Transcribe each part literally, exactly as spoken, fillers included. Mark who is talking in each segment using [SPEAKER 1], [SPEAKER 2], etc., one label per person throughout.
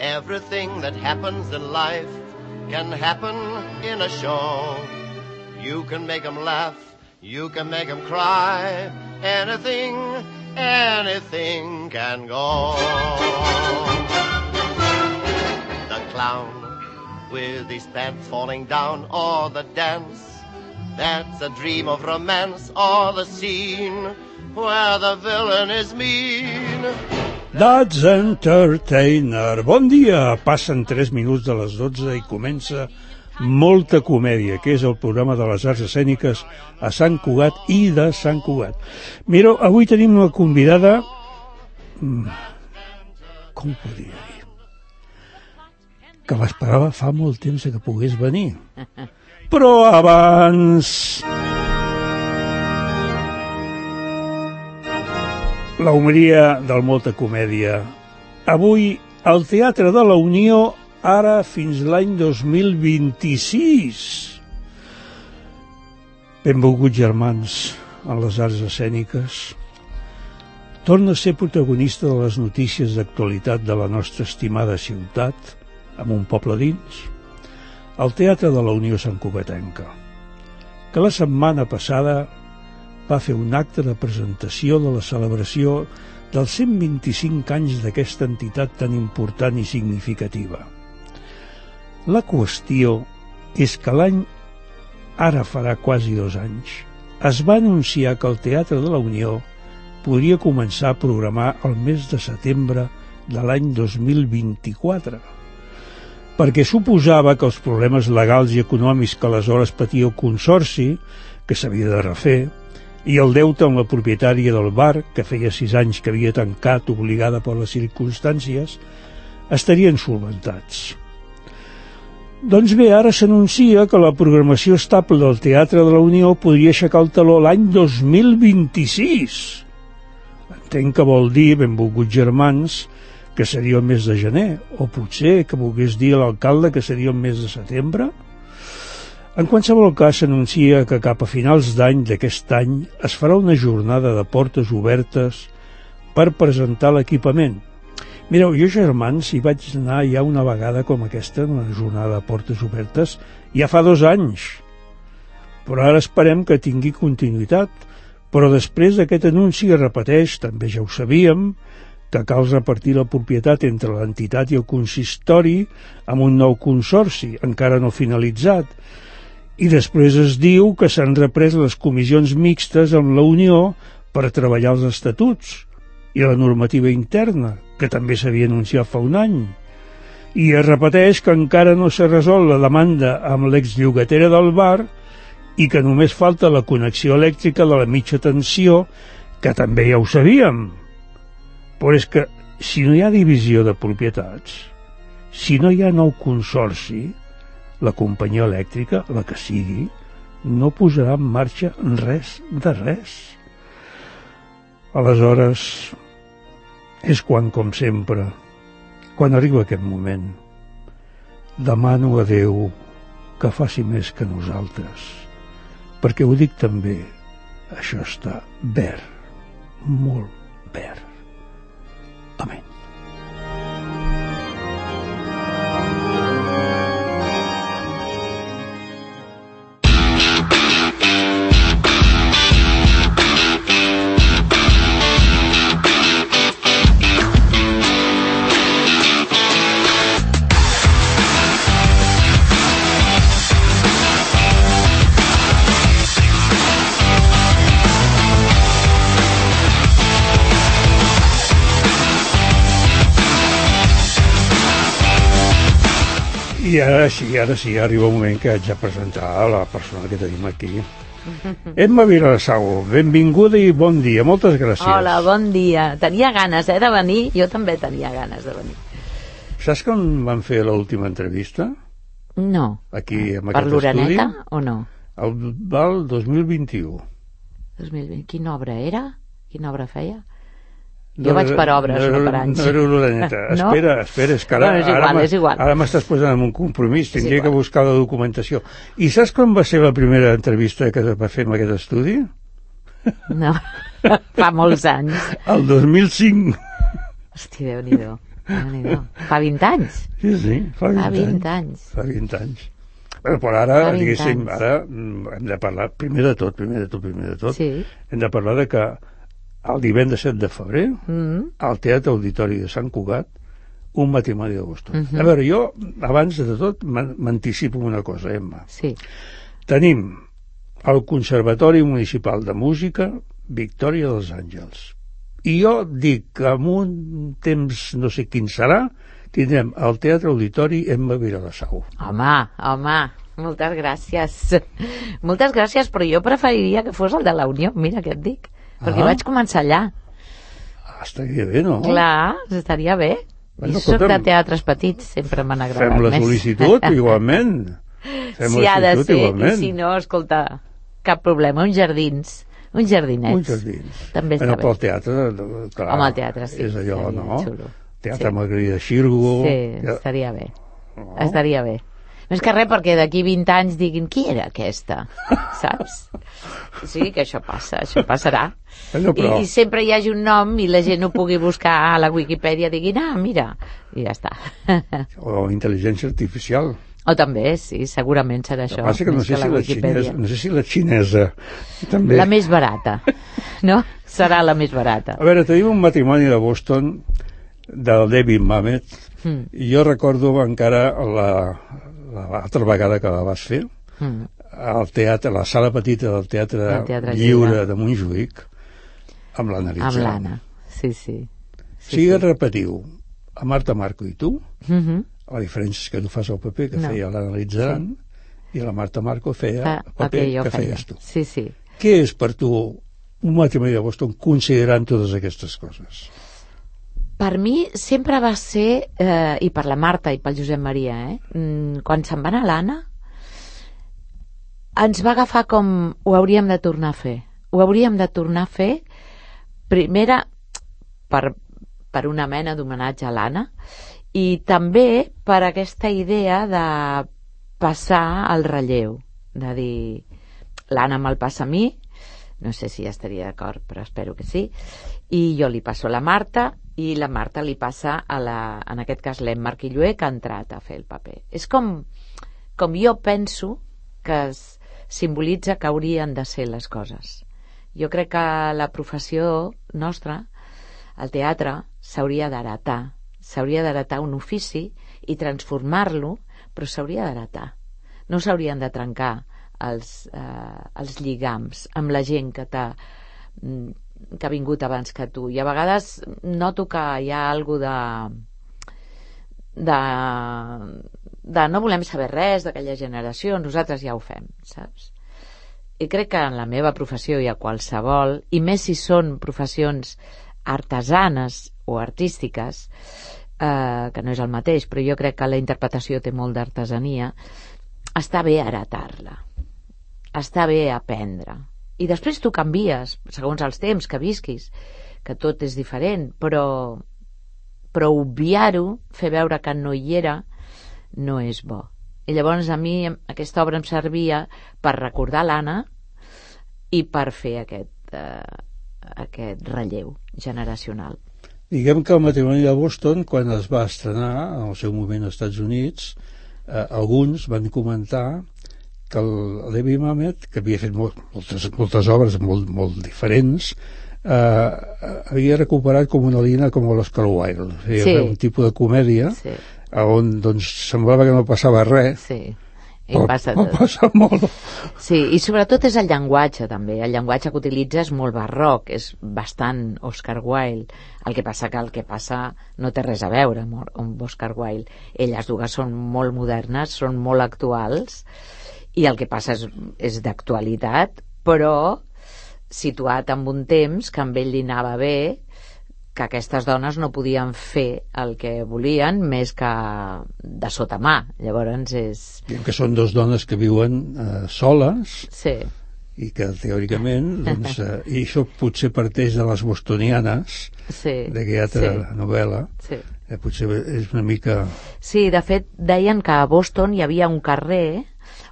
[SPEAKER 1] Everything that happens in life can happen in a show. You can make them laugh, you can make them cry. Anything, anything can go. The clown with his pants falling down, or the dance that's a dream of romance, or the scene where the villain is mean.
[SPEAKER 2] That's Entertainer. Bon dia, passen tres minuts de les dotze i comença Molta Comèdia, que és el programa de les arts escèniques a Sant Cugat i de Sant Cugat. Mireu, avui tenim una convidada, com podria dir, que l'esperava fa molt temps que pogués venir. Però abans... la homeria del Molta Comèdia. Avui, al Teatre de la Unió, ara fins l'any dos mil vint-i-sis. Benvolguts germans en les arts escèniques. Torna a ser protagonista de les notícies d'actualitat de la nostra estimada ciutat, amb un poble dins, al Teatre de la Unió Santcugatenca, que la setmana passada va fer un acte de presentació de la celebració dels cent vint-i-cinc anys d'aquesta entitat tan important i significativa. La qüestió és que l'any, ara farà quasi dos anys, es va anunciar que el Teatre de la Unió podria començar a programar el mes de setembre de l'any dos mil vint-i-quatre, perquè suposava que els problemes legals i econòmics que aleshores patia el Consorci, que s'havia de refer, i el deute amb la propietària del bar, que feia sis anys que havia tancat obligada per les circumstàncies, estarien solventats. Doncs bé, ara s'anuncia que la programació estable del Teatre de la Unió podria aixecar el teló l'any dos mil vint-i-sis. Entenc que vol dir, benvolguts germans, que seria el mes de gener, o potser que volgués dir a l'alcalde que seria el mes de setembre. En qualsevol cas, s'anuncia que cap a finals d'any d'aquest any es farà una jornada de portes obertes per presentar l'equipament. Mireu, jo, germans, hi vaig anar ja una vegada com aquesta, una jornada de portes obertes, ja fa dos anys. Però ara esperem que tingui continuïtat. Però després d'aquest anunci es repeteix, també ja ho sabíem, que cal repartir la propietat entre l'entitat i el consistori amb un nou consorci, encara no finalitzat. I després es diu que s'han reprès les comissions mixtes amb la Unió per treballar els estatuts i la normativa interna, que també s'havia anunciat fa un any. I es repeteix que encara no s'ha resolt la demanda amb l'exllogatera del bar i que només falta la connexió elèctrica de la mitja tensió, que també ja ho sabíem. Però és que si no hi ha divisió de propietats, si no hi ha nou consorci, la companyia elèctrica, la que sigui, no posarà en marxa res de res. Aleshores, és quan, com sempre, quan arriba aquest moment, demano a Déu que faci més que nosaltres, perquè ho dic també, això està verd, molt verd. Amén. I ara sí, ara sí, arriba un moment que haig de presentar la persona que tenim aquí. Emma Vilassau, benvinguda i bon dia, moltes gràcies.
[SPEAKER 3] Hola, bon dia. Tenia ganes, eh, de venir, jo també tenia ganes de venir.
[SPEAKER 2] Saps com van fer l'última entrevista?
[SPEAKER 3] No.
[SPEAKER 2] Aquí, en
[SPEAKER 3] per
[SPEAKER 2] aquest
[SPEAKER 3] l'Oreneta,
[SPEAKER 2] estudi?
[SPEAKER 3] o no?
[SPEAKER 2] El val dos mil vint-i-u.
[SPEAKER 3] dos mil vint. Quina obra era? Quina obra feia? Jo no, vaig per obres, no, no per anys.
[SPEAKER 2] No era l'Oreneta.
[SPEAKER 3] No?
[SPEAKER 2] Espera, espera, és que ara,
[SPEAKER 3] bueno, és igual,
[SPEAKER 2] ara,
[SPEAKER 3] és igual.
[SPEAKER 2] ara m'estàs posant en un compromís, tindria que buscar la documentació. I saps com va ser la primera entrevista que va fer en aquest estudi?
[SPEAKER 3] No, fa molts anys.
[SPEAKER 2] El dos mil cinc.
[SPEAKER 3] Hosti, Déu-n'hi-do. Fa vint anys.
[SPEAKER 2] Sí, sí, fa vint,
[SPEAKER 3] fa vint anys.
[SPEAKER 2] anys. Fa vint anys. Però, però ara, diguéssim, anys. ara hem de parlar, primer de tot, primer de tot, primer de tot, sí. hem de parlar de que el divendres set de febrer, mm-hmm. al Teatre Auditori de Sant Cugat, un matrimoni de Boston. Mm-hmm. A veure, jo, abans de tot, m'anticipo una cosa, Emma.
[SPEAKER 3] Sí.
[SPEAKER 2] Tenim el Conservatori Municipal de Música Victòria dels Àngels. I jo dic que en un temps, no sé quin serà, tindrem al Teatre Auditori Emma Viladasau.
[SPEAKER 3] Home, home, moltes gràcies. Moltes gràcies, però jo preferiria que fos el de la Unió, mira què et dic, perquè ah. vaig començar allà.
[SPEAKER 2] Ah, estaria bé, no?
[SPEAKER 3] Clar, estaria bé. Bueno, I soc de teatres petits, sempre m'han agradat
[SPEAKER 2] fem la
[SPEAKER 3] més.
[SPEAKER 2] sol·licitud, igualment. Fem
[SPEAKER 3] si ha de ser,
[SPEAKER 2] igualment.
[SPEAKER 3] I si no, escolta, cap problema, uns jardins. Uns jardinets.
[SPEAKER 2] Uns jardins.
[SPEAKER 3] També està
[SPEAKER 2] bueno,
[SPEAKER 3] bé.
[SPEAKER 2] Pel teatre, clar.
[SPEAKER 3] Home, el teatre, sí.
[SPEAKER 2] És allò, no?
[SPEAKER 3] Xulo.
[SPEAKER 2] Teatre
[SPEAKER 3] sí.
[SPEAKER 2] Margarida Xirgo.
[SPEAKER 3] Sí, ja... estaria bé. No. Estaria bé. No és que res, perquè d'aquí vint anys diguin qui era aquesta, saps? Sí, que això passa, això passarà.
[SPEAKER 2] Bueno, però...
[SPEAKER 3] I, I sempre hi hagi un nom i la gent ho pugui buscar a la Wikipedia, diguin, ah, mira, i ja està.
[SPEAKER 2] O intel·ligència artificial.
[SPEAKER 3] O també, sí, segurament serà això.
[SPEAKER 2] Passa que no sé, que si la xinesa, no sé si la xinesa també...
[SPEAKER 3] La més barata, no? Serà la més barata.
[SPEAKER 2] A veure, tenim un matrimoni de Boston del David Mamet mm. i jo recordo encara l'altra vegada que la vas fer mm. al teatre, a la sala petita del Teatre, teatre Lliure, Lliure de Montjuïc amb l'Anna Litzan.
[SPEAKER 3] Amb l'Anna, sí, sí.
[SPEAKER 2] sí si sí. repetiu a Marta Marco i tu,
[SPEAKER 3] mm-hmm.
[SPEAKER 2] la diferència és que tu fas el paper que no. feia l'Anna Litzan sí. i la Marta Marco feia el paper que, que feies tu.
[SPEAKER 3] Sí, sí.
[SPEAKER 2] Què és per tu un matrimoni de Boston considerant totes aquestes coses?
[SPEAKER 3] Per mi sempre va ser, eh, i per la Marta i pel Josep Maria, eh, quan se'n va anar l'Anna, ens va agafar com ho hauríem de tornar a fer. Ho hauríem de tornar a fer, primera, per, per una mena d'homenatge a l'Anna, i també per aquesta idea de passar el relleu, de dir, l'Anna me'l passa a mi, no sé si ja estaria d'acord, però espero que sí, i jo li passo a la Marta, i la Marta li passa a la, en aquest cas l'Emma Arquilloé, que ha entrat a fer el paper. És com, com jo penso que es simbolitza que haurien de ser les coses. Jo crec que la professió nostra, el teatre, s'hauria d'heretar, s'hauria d'heretar un ofici i transformar-lo, però s'hauria d'heretar. No s'haurien de trencar els, eh, els lligams amb la gent que t'ha que ha vingut abans que tu, i a vegades noto que hi ha alguna de, de de no volem saber res d'aquella generació, nosaltres ja ho fem, saps? I crec que en la meva professió hi ha qualsevol, i més si són professions artesanes o artístiques, eh, que no és el mateix, però jo crec que la interpretació té molt d'artesania, està bé heretar-la, està bé aprendre. I després tu canvies, segons els temps que visquis, que tot és diferent, però, però obviar-ho, fer veure que no hi era, no és bo. I llavors a mi aquesta obra em servia per recordar l'Anna i per fer aquest, eh, aquest relleu generacional.
[SPEAKER 2] Diguem que el matrimoni de Boston, quan es va estrenar en el seu moment als Estats Units, eh, alguns van comentar que el David Mamet, que havia fet molt, moltes, moltes obres molt, molt diferents, eh, havia recuperat com una línia com l'Oscar Wilde. Feia sí. un tipus de comèdia sí. on doncs, semblava que no passava res.
[SPEAKER 3] Sí. I
[SPEAKER 2] però,
[SPEAKER 3] passa
[SPEAKER 2] però passa molt.
[SPEAKER 3] Sí, i sobretot és el llenguatge també. El llenguatge que utilitza és molt barroc, és bastant Oscar Wilde. El que passa que el que passa no té res a veure amb Oscar Wilde. Elles dues són molt modernes, són molt actuals, i el que passa és, és d'actualitat, però situat en un temps que amb ell li anava bé, que aquestes dones no podien fer el que volien més que de sota mà. Llavors és...
[SPEAKER 2] Diem que són dues dones que viuen eh, soles
[SPEAKER 3] sí.
[SPEAKER 2] i que teòricament doncs, eh, i això potser parteix de les bostonianes
[SPEAKER 3] sí.
[SPEAKER 2] d'aquella altra
[SPEAKER 3] sí.
[SPEAKER 2] novel·la
[SPEAKER 3] sí.
[SPEAKER 2] eh, potser és una mica...
[SPEAKER 3] Sí, de fet deien que a Boston hi havia un carrer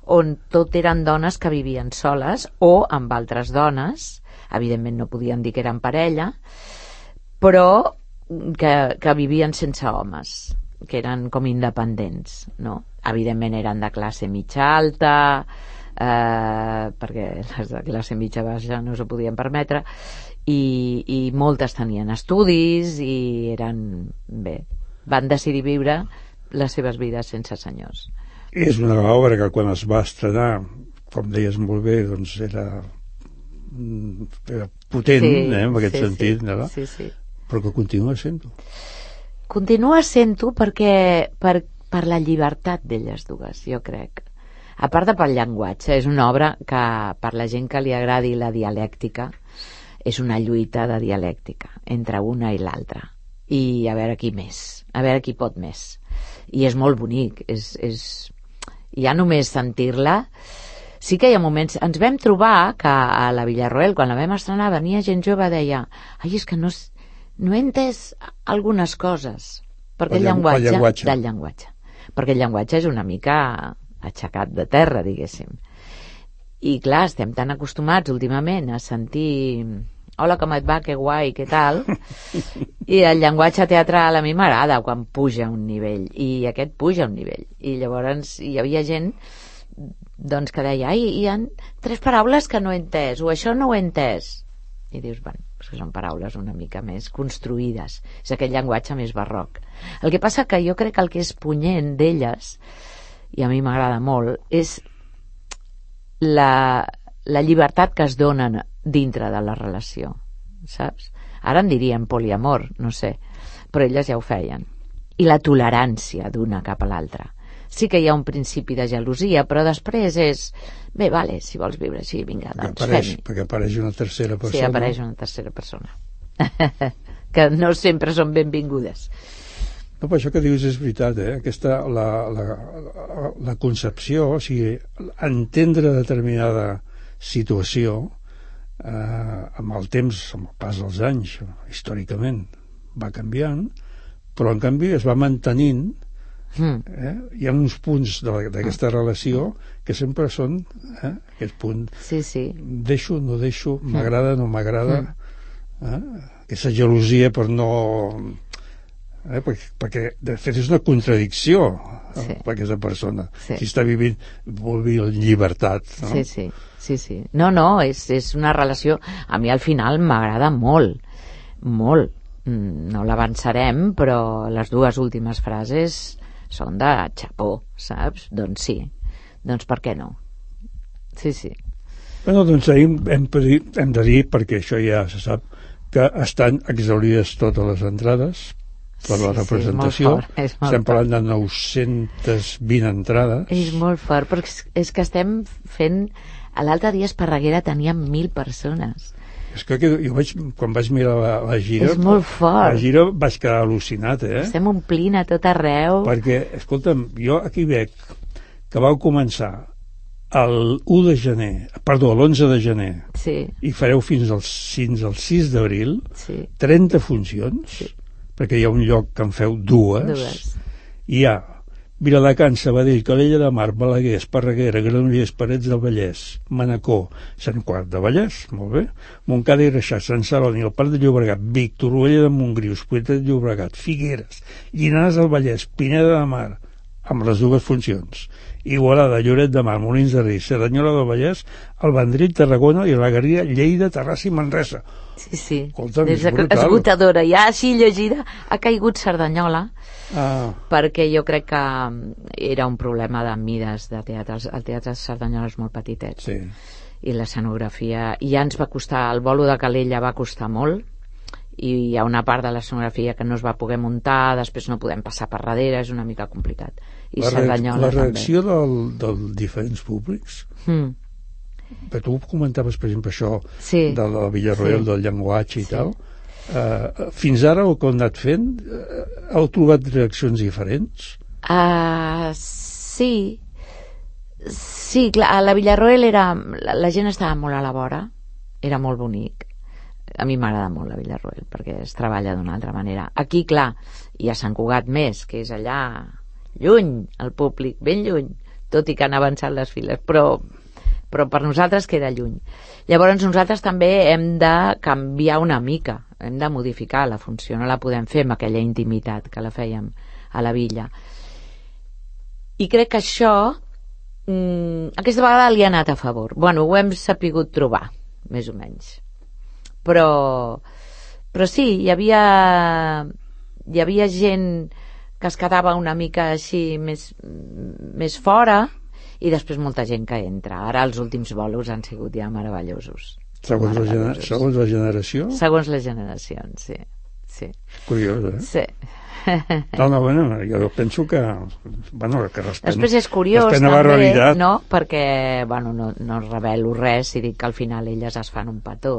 [SPEAKER 3] on tot eren dones que vivien soles o amb altres dones, evidentment no podien dir que eren parella, però que, que vivien sense homes, que eren com independents, no? Evidentment eren de classe mitja alta, eh, perquè les de classe mitja baixa no s'ho podien permetre, i, i moltes tenien estudis i eren, bé, van decidir viure les seves vides sense senyors.
[SPEAKER 2] És una obra que quan es va estrenar, com deies molt bé, doncs era, era potent,
[SPEAKER 3] sí,
[SPEAKER 2] eh, en aquest
[SPEAKER 3] sí,
[SPEAKER 2] sentit,
[SPEAKER 3] sí,
[SPEAKER 2] no?
[SPEAKER 3] sí, sí.
[SPEAKER 2] Però que continua sent-ho.
[SPEAKER 3] Continua sent-ho perquè per, per la llibertat d'elles dues, jo crec. A part de pel llenguatge, és una obra que per la gent que li agradi la dialèctica és una lluita de dialèctica entre una i l'altra, i a veure qui més, a veure qui pot més, i és molt bonic, és, és... ja només sentir-la. Sí que hi ha moments, ens vam trobar que a la Villarroel, quan la vam estrenar, venia gent jove, deia, ai, és que no, no he entès algunes coses, perquè el, el llenguatge, llenguatge del llenguatge, perquè el llenguatge és una mica aixecat de terra, diguéssim, i clar, estem tan acostumats últimament a sentir hola, com et va, que guai, que tal, i el llenguatge teatral a mi m'agrada quan puja un nivell, i aquest puja un nivell, i llavors hi havia gent doncs que deia, ai, hi ha tres paraules que no he entès, o això no ho he entès, i dius, bueno, és que són paraules una mica més construïdes, és aquest llenguatge més barroc. El que passa que jo crec que el que és punyent d'elles, i a mi m'agrada molt, és la, la llibertat que es donen dintre de la relació, saps? Ara en diríem poliamor, no sé, però elles ja ho feien. I la tolerància d'una cap a l'altra. Sí que hi ha un principi de gelosia, però després és, bé, vale, si vols viure així, vinga, doncs fem-hi.
[SPEAKER 2] Perquè apareix una tercera persona.
[SPEAKER 3] Sí, apareix una tercera persona. Que no sempre són benvingudes.
[SPEAKER 2] No, però això que dius és veritat, eh? Aquesta, la, la, la, la concepció, o sigui, entendre determinada situació, eh, amb el temps, amb el pas dels anys, històricament, va canviant, però en canvi es va mantenint. Mm. Eh? Hi ha uns punts d'aquesta relació que sempre són eh? aquest punt,
[SPEAKER 3] sí, sí.
[SPEAKER 2] Deixo, no deixo, m'agrada, no m'agrada, mm. eh? Aquesta gelosia per no eh? perquè, perquè de fet és una contradicció, sí. eh? Per aquesta persona, sí. Si està vivint vol dir llibertat, no?
[SPEAKER 3] Sí, sí, sí, sí. No, no, és, és una relació, a mi al final m'agrada molt, molt, no l'avançarem, però les dues últimes frases són de xapó, saps? Doncs sí, doncs per què no? Sí, sí.
[SPEAKER 2] Bueno, doncs hem, hem, hem de dir, perquè això ja se sap, que estan exaurides totes les entrades per la
[SPEAKER 3] sí,
[SPEAKER 2] representació.
[SPEAKER 3] Sí,
[SPEAKER 2] estem parlant de nou-centes vint entrades.
[SPEAKER 3] És molt fort, perquè és que estem fent... A l'altre dia a Esparreguera teníem mil persones.
[SPEAKER 2] És que jo vaig, quan vaig mirar la, la gira...
[SPEAKER 3] És molt fort.
[SPEAKER 2] La gira vaig quedar al·lucinat, eh?
[SPEAKER 3] Estem omplint a tot arreu.
[SPEAKER 2] Perquè, escolta'm, jo aquí veig que vau començar el u de gener, perdó, l'onze de gener,
[SPEAKER 3] sí.
[SPEAKER 2] I fareu fins al, fins al sis d'abril,
[SPEAKER 3] sí.
[SPEAKER 2] trenta funcions, sí. Perquè hi ha un lloc que en feu dues,
[SPEAKER 3] dues.
[SPEAKER 2] I hi ha Viladecans, Sabadell, Calella de Mar, Balaguer, Esparreguera, Granollers, Parets del Vallès, Manacor, Sant Quart de Vallès, molt bé, Montcada i Reixac, Sant Celoni, el Parc de Llobregat, Vic, Torroella de Montgrí, Hospitalet de Llobregat, Figueres, Llinars del Vallès, Pineda de Mar, amb les dues funcions, Igualada, Lloret de Mar, Molins de Rei, Cerdanyola del Vallès, el Vendrell, Tarragona i la Garriga, Lleida, Terrassa i Manresa.
[SPEAKER 3] Sí, sí,
[SPEAKER 2] escolta,
[SPEAKER 3] és esgotadora. Ja així llegida ha caigut Cerdanyola, ah. Perquè jo crec que era un problema de mides de teatre. El teatre de Cerdanyola és molt petitet,
[SPEAKER 2] sí.
[SPEAKER 3] I l'escenografia, i ja ens va costar, el bolo de Calella va costar molt, i hi ha una part de l'escenografia que no es va poder muntar, després no podem passar per darrere, és una mica complicat. I
[SPEAKER 2] la,
[SPEAKER 3] Cerdanyola
[SPEAKER 2] la reacció del, dels diferents públics, mm. Però tu comentaves, per exemple, això sí. De la Villarroel, sí. Del llenguatge i sí. Tal. Uh, fins ara, el que heu anat fent, uh, heu trobat reaccions diferents?
[SPEAKER 3] Uh, sí. Sí, clar, a la Villarroel era, la, la gent estava molt a la vora, era molt bonic. A mi m'agrada molt la Villarroel, perquè es treballa d'una altra manera. Aquí, clar, hi ha Sant Cugat més, que és allà lluny, el públic, ben lluny, tot i que han avançat les files, però però per nosaltres queda lluny. Llavors nosaltres també hem de canviar una mica, hem de modificar la funció, no la podem fer amb aquella intimitat que la fèiem a la Villa. I crec que això mmm, aquesta vegada li ha anat a favor. Bueno, ho hem sapigut trobar, més o menys. Però, però sí, hi havia, hi havia gent que es quedava una mica així més, més fora, i després molta gent que entra. Ara els últims bolos han sigut ja meravellosos.
[SPEAKER 2] Segons, meravellosos. La, segons la generació?
[SPEAKER 3] Segons les generacions, sí. sí.
[SPEAKER 2] Curiós, eh?
[SPEAKER 3] Sí.
[SPEAKER 2] No, no, bueno, jo penso que, bueno, que respecte,
[SPEAKER 3] després és curiós també, no? Perquè, bueno, no, no revelo res si dic que al final elles es fan un petó,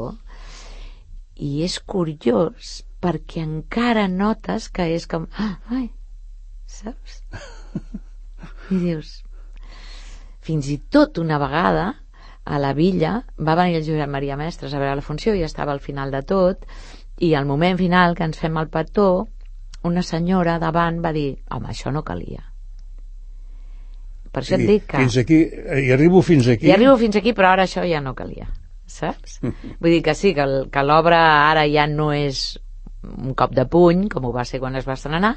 [SPEAKER 3] i és curiós perquè encara notes que és com ah, ai, saps? I dius, fins i tot una vegada a la Villa va venir el Josep Maria Mestres a veure la funció i estava al final de tot, i al moment final que ens fem el petó una senyora davant va dir home, això no calia. Per això
[SPEAKER 2] sí,
[SPEAKER 3] et dic que
[SPEAKER 2] fins aquí, i arribo fins aquí
[SPEAKER 3] i arribo fins aquí, però ara això ja no calia, saps? Vull dir que sí, que, el, que l'obra ara ja no és un cop de puny com ho va ser quan es va estrenar,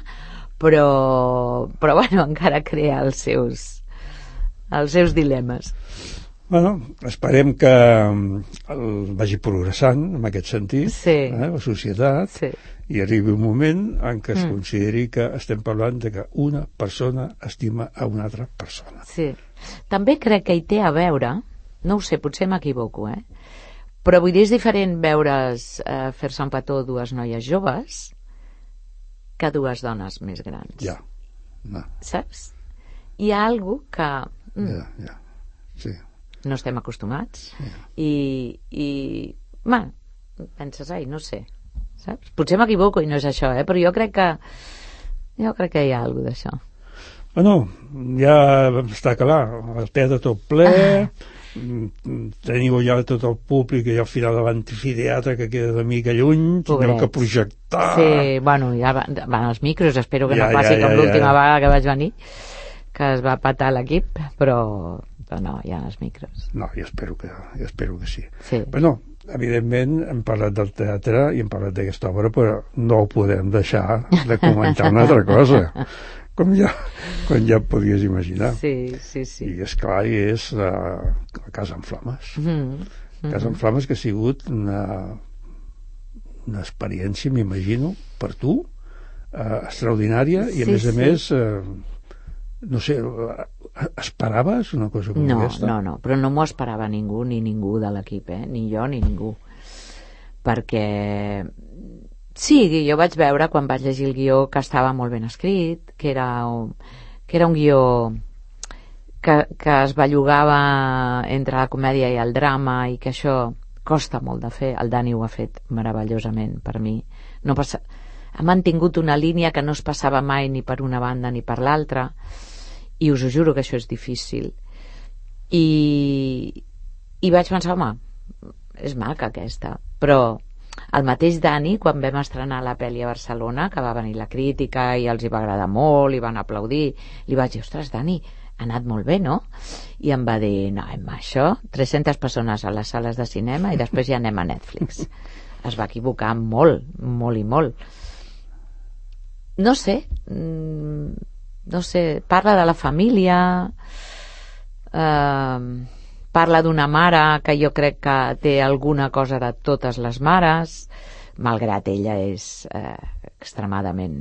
[SPEAKER 3] però, però bueno, encara crea els seus els seus dilemes.
[SPEAKER 2] Bueno, esperem que el vagi progressant en aquest sentit,
[SPEAKER 3] sí.
[SPEAKER 2] eh, la societat,
[SPEAKER 3] sí.
[SPEAKER 2] i arribi un moment en què es mm. consideri que estem parlant de que una persona estima a una altra persona.
[SPEAKER 3] Sí. També crec que hi té a veure, no ho sé, potser m'equivoco, eh? però vull dir, és diferent veure's eh, fer-se un petó dues noies joves que dues dones més grans.
[SPEAKER 2] Ja. No.
[SPEAKER 3] Saps? Hi ha alguna que... Mm,
[SPEAKER 2] ja, ja. Sí.
[SPEAKER 3] No estem acostumats.
[SPEAKER 2] Ja.
[SPEAKER 3] I, i bueno, penses, ai, no sé, saps? Potser m'equivoco i no és això, eh? però jo crec que jo crec que hi ha alguna d'això.
[SPEAKER 2] Bueno, ja està clar, el teatre tot ple, ah. teniu ja tot el públic i al final de l'amfiteatre que queda una mica lluny, teniu que projectar.
[SPEAKER 3] Sí, bueno, ja van, van els micros, espero que
[SPEAKER 2] ja,
[SPEAKER 3] no passi
[SPEAKER 2] ja, ja,
[SPEAKER 3] com l'última
[SPEAKER 2] ja.
[SPEAKER 3] vegada que vaig venir, que es va patar l'equip, però, però no, hi ha els micros.
[SPEAKER 2] No, jo espero que, jo espero que sí.
[SPEAKER 3] Sí.
[SPEAKER 2] Però no, evidentment hem parlat del teatre i hem parlat d'aquesta obra, però no ho podem deixar de comentar una altra cosa, com ja, com ja podies imaginar.
[SPEAKER 3] Sí, sí, sí.
[SPEAKER 2] I és clar, i és la, la Casa en Flames.
[SPEAKER 3] Mm-hmm.
[SPEAKER 2] Casa en Flames que ha sigut una, una experiència, m'imagino, per tu, eh, extraordinària, i a
[SPEAKER 3] sí,
[SPEAKER 2] més a
[SPEAKER 3] sí.
[SPEAKER 2] més... Eh, no sé, esperaves una cosa com
[SPEAKER 3] no,
[SPEAKER 2] aquesta?
[SPEAKER 3] No, no, però no m'ho esperava ningú, ni ningú de l'equip, eh? ni jo ni ningú. Perquè sí, jo vaig veure quan vaig llegir el guió que estava molt ben escrit, que era un, que era un guió que, que es bellugava entre la comèdia i el drama i que això costa molt de fer. El Dani ho ha fet meravellosament per mi. No passa... Ha mantingut una línia que no es passava mai ni per una banda ni per l'altra, i us ho juro que això és difícil. I, i vaig pensar, home, és maca aquesta, però el mateix Dani, quan vam estrenar la pel·li a Barcelona, que va venir la crítica i els hi va agradar molt i van aplaudir, li vaig dir, ostres, Dani, ha anat molt bé, no? I em va dir, no, Emma, això, tres-centes persones a les sales de cinema i després ja anem a Netflix. Es va equivocar molt, molt i molt. No sé, no sé, parla de la família, eh, parla d'una mare que jo crec que té alguna cosa de totes les mares, malgrat ella és eh, extremadament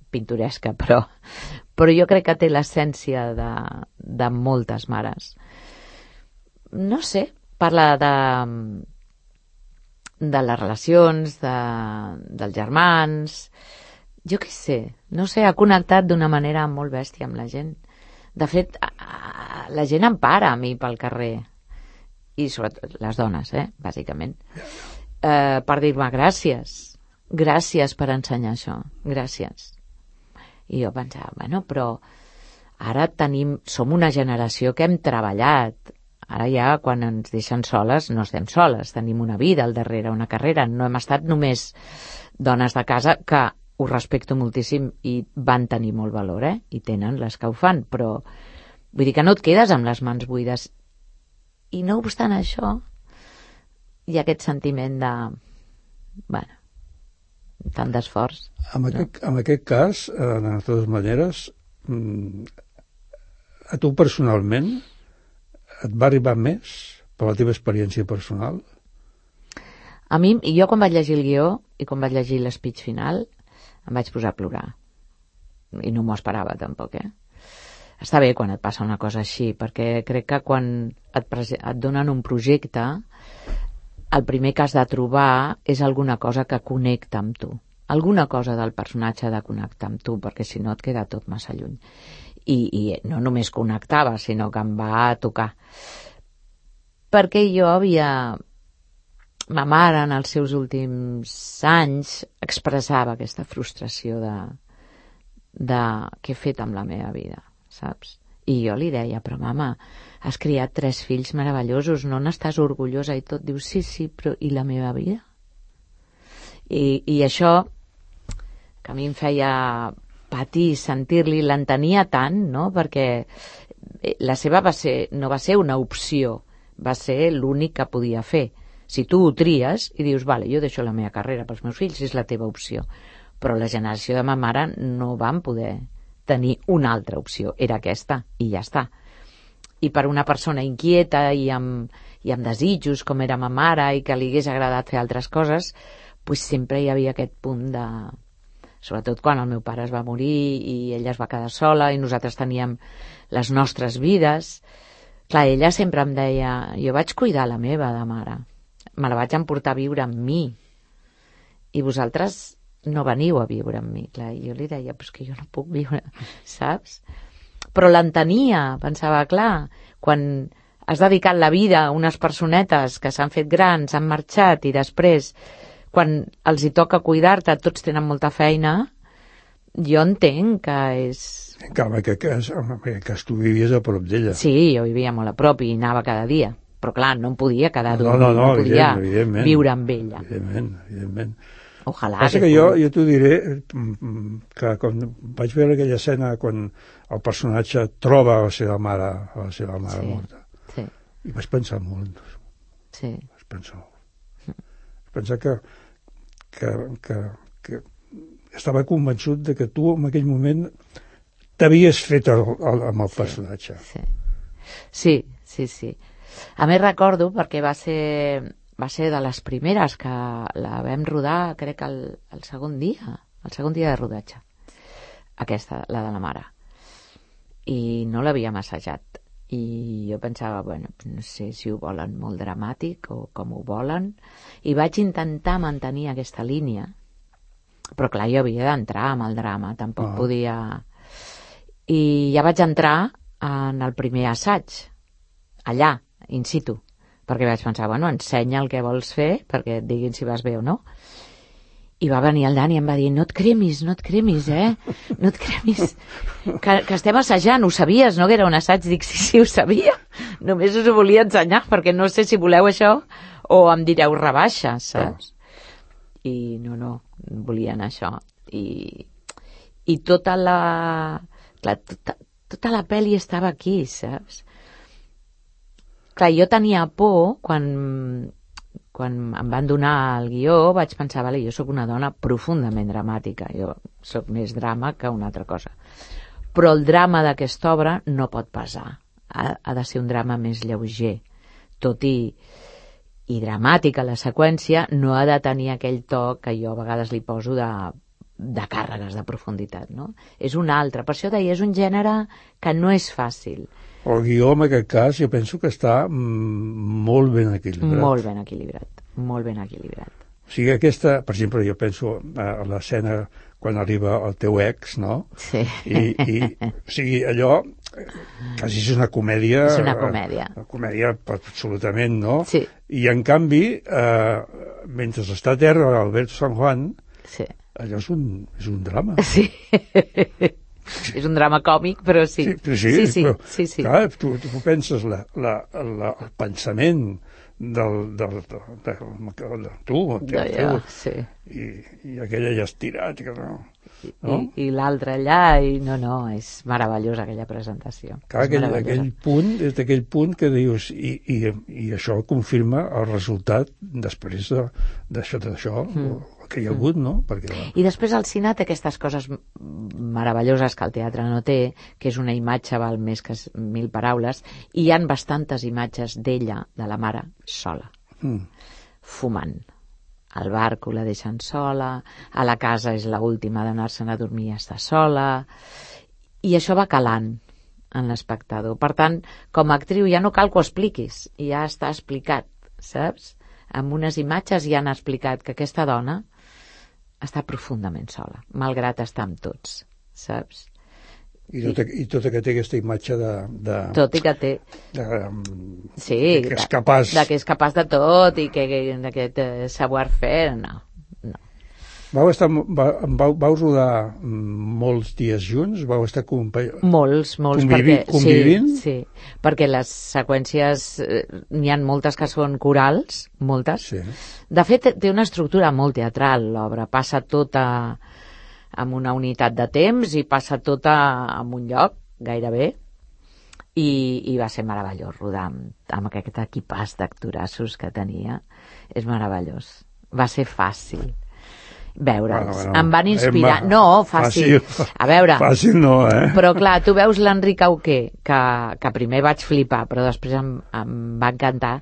[SPEAKER 3] pintoresca, però, però jo crec que té l'essència de, de moltes mares. No sé, parla de, de les relacions, de, dels germans... Jo què sé, no sé, ha connectat d'una manera molt bèstia amb la gent. De fet, la gent em para a mi pel carrer, i sobretot les dones, eh, bàsicament, eh, per dir-me gràcies, gràcies per ensenyar això, gràcies. I jo pensava, bueno, però ara tenim, som una generació que hem treballat, ara ja quan ens deixen soles no estem soles, tenim una vida al darrere, una carrera, no hem estat només dones de casa que ho respecto moltíssim i van tenir molt valor, eh? I tenen les que ho fan, però vull dir que no et quedes amb les mans buides i no obstant això hi ha aquest sentiment de, bueno, tant d'esforç.
[SPEAKER 2] En,
[SPEAKER 3] no?
[SPEAKER 2] aquest, en aquest cas, eh, de totes maneres, a tu personalment et va arribar més per la teva experiència personal?
[SPEAKER 3] A mi, jo quan vaig llegir el guió i quan vaig llegir l'espeech final em vaig posar a plorar i no m'ho esperava tampoc, eh? Està bé quan et passa una cosa així, perquè crec que quan et, et donen un projecte, el primer que has de trobar és alguna cosa que connecta amb tu. Alguna cosa del personatge ha de connectar amb tu, perquè si no et queda tot massa lluny. I, i no només connectava, sinó que em va tocar. Perquè jo havia... Ma mare, en els seus últims anys, expressava aquesta frustració de, de què he fet amb la meva vida, saps? I jo li deia, però mama, has criat tres fills meravellosos, no n'estàs orgullosa? I tot diu, sí, sí, però i la meva vida? I, i això, que a mi em feia patir sentir-li, l'entenia tant, no? Perquè la seva va ser, no va ser una opció, va ser l'únic que podia fer. Si tu ho tries i dius, vale, jo deixo la meva carrera pels meus fills, és la teva opció. Però la generació de ma mare no van poder tenir una altra opció, era aquesta, i ja està. I per una persona inquieta i amb, i amb desitjos, com era ma mare, i que li hagués agradat fer altres coses, pues sempre hi havia aquest punt de... Sobretot quan el meu pare es va morir i ella es va quedar sola i nosaltres teníem les nostres vides. Clar, ella sempre em deia, jo vaig cuidar la meva de mare, me la vaig emportar a viure amb mi i vosaltres no veniu a viure amb mi. Clar, i jo li deia, però és que jo no puc viure, saps? Però l'entenia, pensava, clar, quan has dedicat la vida a unes personetes que s'han fet grans, han marxat i després, quan els hi toca cuidar-te, tots tenen molta feina, jo entenc que és...
[SPEAKER 2] En aquest cas, en aquest cas tu vivies a prop d'ella.
[SPEAKER 3] Sí, jo vivia molt a prop i anava cada dia. Però clar, no em podia quedar
[SPEAKER 2] no,
[SPEAKER 3] dormint,
[SPEAKER 2] no, no,
[SPEAKER 3] no podia
[SPEAKER 2] evident,
[SPEAKER 3] viure amb ella.
[SPEAKER 2] Evidentment, evidentment.
[SPEAKER 3] Ojalà.
[SPEAKER 2] Passa que, que jo, jo t'ho diré que quan vaig veure aquella escena quan el personatge troba a la seva mare, a la seva mare
[SPEAKER 3] sí,
[SPEAKER 2] morta,
[SPEAKER 3] sí.
[SPEAKER 2] i vaig pensar molt.
[SPEAKER 3] Sí.
[SPEAKER 2] Vaig pensar molt. Vaig pensar que, que, que, que estava convençut de que tu en aquell moment t'havies fet el, el, amb el personatge.
[SPEAKER 3] Sí, sí, sí. sí. A més recordo perquè va ser, va ser de les primeres que la vam rodar, crec que el, el segon dia, el segon dia de rodatge, aquesta, la de la mare. I no l'havíem assajat. I jo pensava, bueno, no sé si ho volen molt dramàtic o com ho volen. I vaig intentar mantenir aquesta línia, però clar, jo havia d'entrar amb el drama, tampoc oh. podia... I ja vaig entrar en el primer assaig, allà, in situ, perquè vaig pensar, bueno, ensenya el que vols fer perquè et diguin si vas bé o no. I va venir el Dani i em va dir, no et cremis, no et cremis, eh? No et cremis. Que, que estem assajant, ho sabies, no? Que era un assaig. Dic, sí, sí, ho sabia. Només us ho volia ensenyar perquè no sé si voleu això o em direu rebaixa, saps? I no, no, volien això. I, i tota la... Clar, tota, tota la pel·li estava aquí, saps? Clar, jo tenia por quan, quan em van donar el guió, vaig pensar, vale, jo sóc una dona profundament dramàtica, jo sóc més drama que una altra cosa. Però el drama d'aquesta obra no pot pesar, ha, ha de ser un drama més lleuger, tot i, i dramàtica la seqüència, no ha de tenir aquell to que jo a vegades li poso de, de càrregues de profunditat, no? És un altre, per això deia, és un gènere que no és fàcil.
[SPEAKER 2] El guió, en aquest cas, jo penso que està molt ben equilibrat.
[SPEAKER 3] Molt ben equilibrat, molt ben equilibrat.
[SPEAKER 2] O sigui, aquesta, per exemple, jo penso a l'escena quan arriba el teu ex, no?
[SPEAKER 3] Sí.
[SPEAKER 2] I, i o sigui, allò quasi és una comèdia...
[SPEAKER 3] És una comèdia.
[SPEAKER 2] Una comèdia absolutament, no?
[SPEAKER 3] Sí.
[SPEAKER 2] I, en canvi, eh, mentre està a terra Alberto San Juan, sí. allò és un, és un drama.
[SPEAKER 3] Sí. És un drama còmic, però sí.
[SPEAKER 2] Sí, però sí,
[SPEAKER 3] sí, sí,
[SPEAKER 2] però,
[SPEAKER 3] sí, sí.
[SPEAKER 2] Clar, tu, tu penses la, la, la, el pensament del, del, del, del, del tu, el teu,
[SPEAKER 3] ja,
[SPEAKER 2] teu
[SPEAKER 3] sí.
[SPEAKER 2] i, i aquella ja estirat, que no... no?
[SPEAKER 3] I, i l'altre allà, i no, no, és meravellosa aquella presentació.
[SPEAKER 2] Clar,
[SPEAKER 3] és
[SPEAKER 2] aquell, aquell punt, és d'aquell punt que dius, i, i, i això confirma el resultat després de, d'això, d'això mm. que hi ha hagut, no? Perquè,
[SPEAKER 3] I després el cine té aquestes coses meravelloses que el teatre no té, que és una imatge val més que mil paraules, i hi han bastantes imatges d'ella, de la mare, sola, mm. fumant. Al barco la deixen sola, a la casa és l'última d'anar-se'n a dormir i està sola, i això va calant en l'espectador. Per tant, com a actriu ja no cal que ho expliquis, ja està explicat, saps? Amb unes imatges ja han explicat que aquesta dona està profundament sola, malgrat estar amb tots, saps?
[SPEAKER 2] I tota, i tota que té aquesta imatge de... de
[SPEAKER 3] tot i que té...
[SPEAKER 2] De,
[SPEAKER 3] sí,
[SPEAKER 2] de que és capaç...
[SPEAKER 3] De que és capaç de tot i que d'aquest eh, savoir-faire, no, no.
[SPEAKER 2] Vau estar... Vau, vau rodar molts dies junts? Vau estar compa...
[SPEAKER 3] Molts, molts.
[SPEAKER 2] Convivi,
[SPEAKER 3] perquè,
[SPEAKER 2] convivint?
[SPEAKER 3] Sí, sí, perquè les seqüències... Eh, n'hi ha moltes que són corals, moltes.
[SPEAKER 2] Sí.
[SPEAKER 3] De fet, té una estructura molt teatral, l'obra. Passa tota... amb una unitat de temps i passa tota en un lloc, gairebé, i, i va ser meravellós rodar amb, amb aquest equipàs d'actorassos que tenia. És meravellós. Va ser fàcil veure'ls. Bueno, bueno, em van inspirar... Emma, no, fàcil. fàcil. A veure...
[SPEAKER 2] Fàcil no, eh?
[SPEAKER 3] Però clar, tu veus l'Enric Auqué, que, que primer vaig flipar, però després em, em va encantar.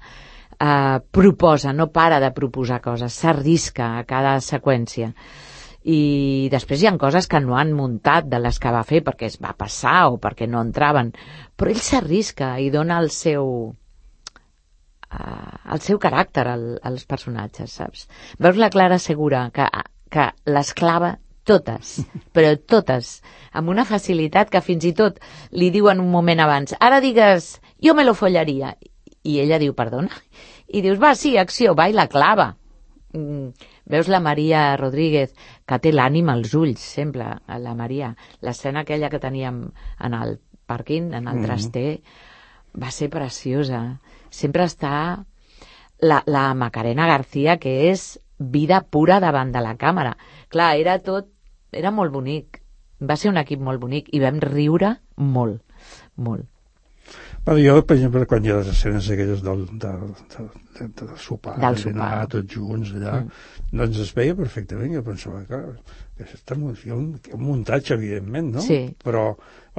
[SPEAKER 3] Uh, proposa, no para de proposar coses, s'arrisca a cada seqüència. I després hi ha coses que no han muntat de les que va fer perquè es va passar o perquè no entraven, però ell s'arrisca i dona el seu uh, el seu caràcter al, als personatges, saps? Veus la Clara Segura, que, que les clava totes, però totes, amb una facilitat que fins i tot li diu en un moment abans, ara digues, jo me lo follaria, i ella diu, perdona, i dius, va, sí, acció, va, i la clava. Mm. Veus la Maria Rodríguez, que té l'ànima als ulls, sempre, la Maria. L'escena aquella que teníem en el pàrquing, en el traster, mm-hmm. va ser preciosa. Sempre està la, la Macarena García, que és vida pura davant de la càmera. Clar, era tot... Era molt bonic. Va ser un equip molt bonic i vam riure molt, molt.
[SPEAKER 2] Bueno, jo, per exemple, quan hi ha les escenes aquelles del, del, del, del, del sopar,
[SPEAKER 3] del
[SPEAKER 2] de
[SPEAKER 3] sopar,
[SPEAKER 2] dinar, tots junts allà, mm. doncs es veia perfectament. Jo pensava que, que està, hi ha un, un muntatge, evidentment, no?
[SPEAKER 3] Sí.
[SPEAKER 2] Però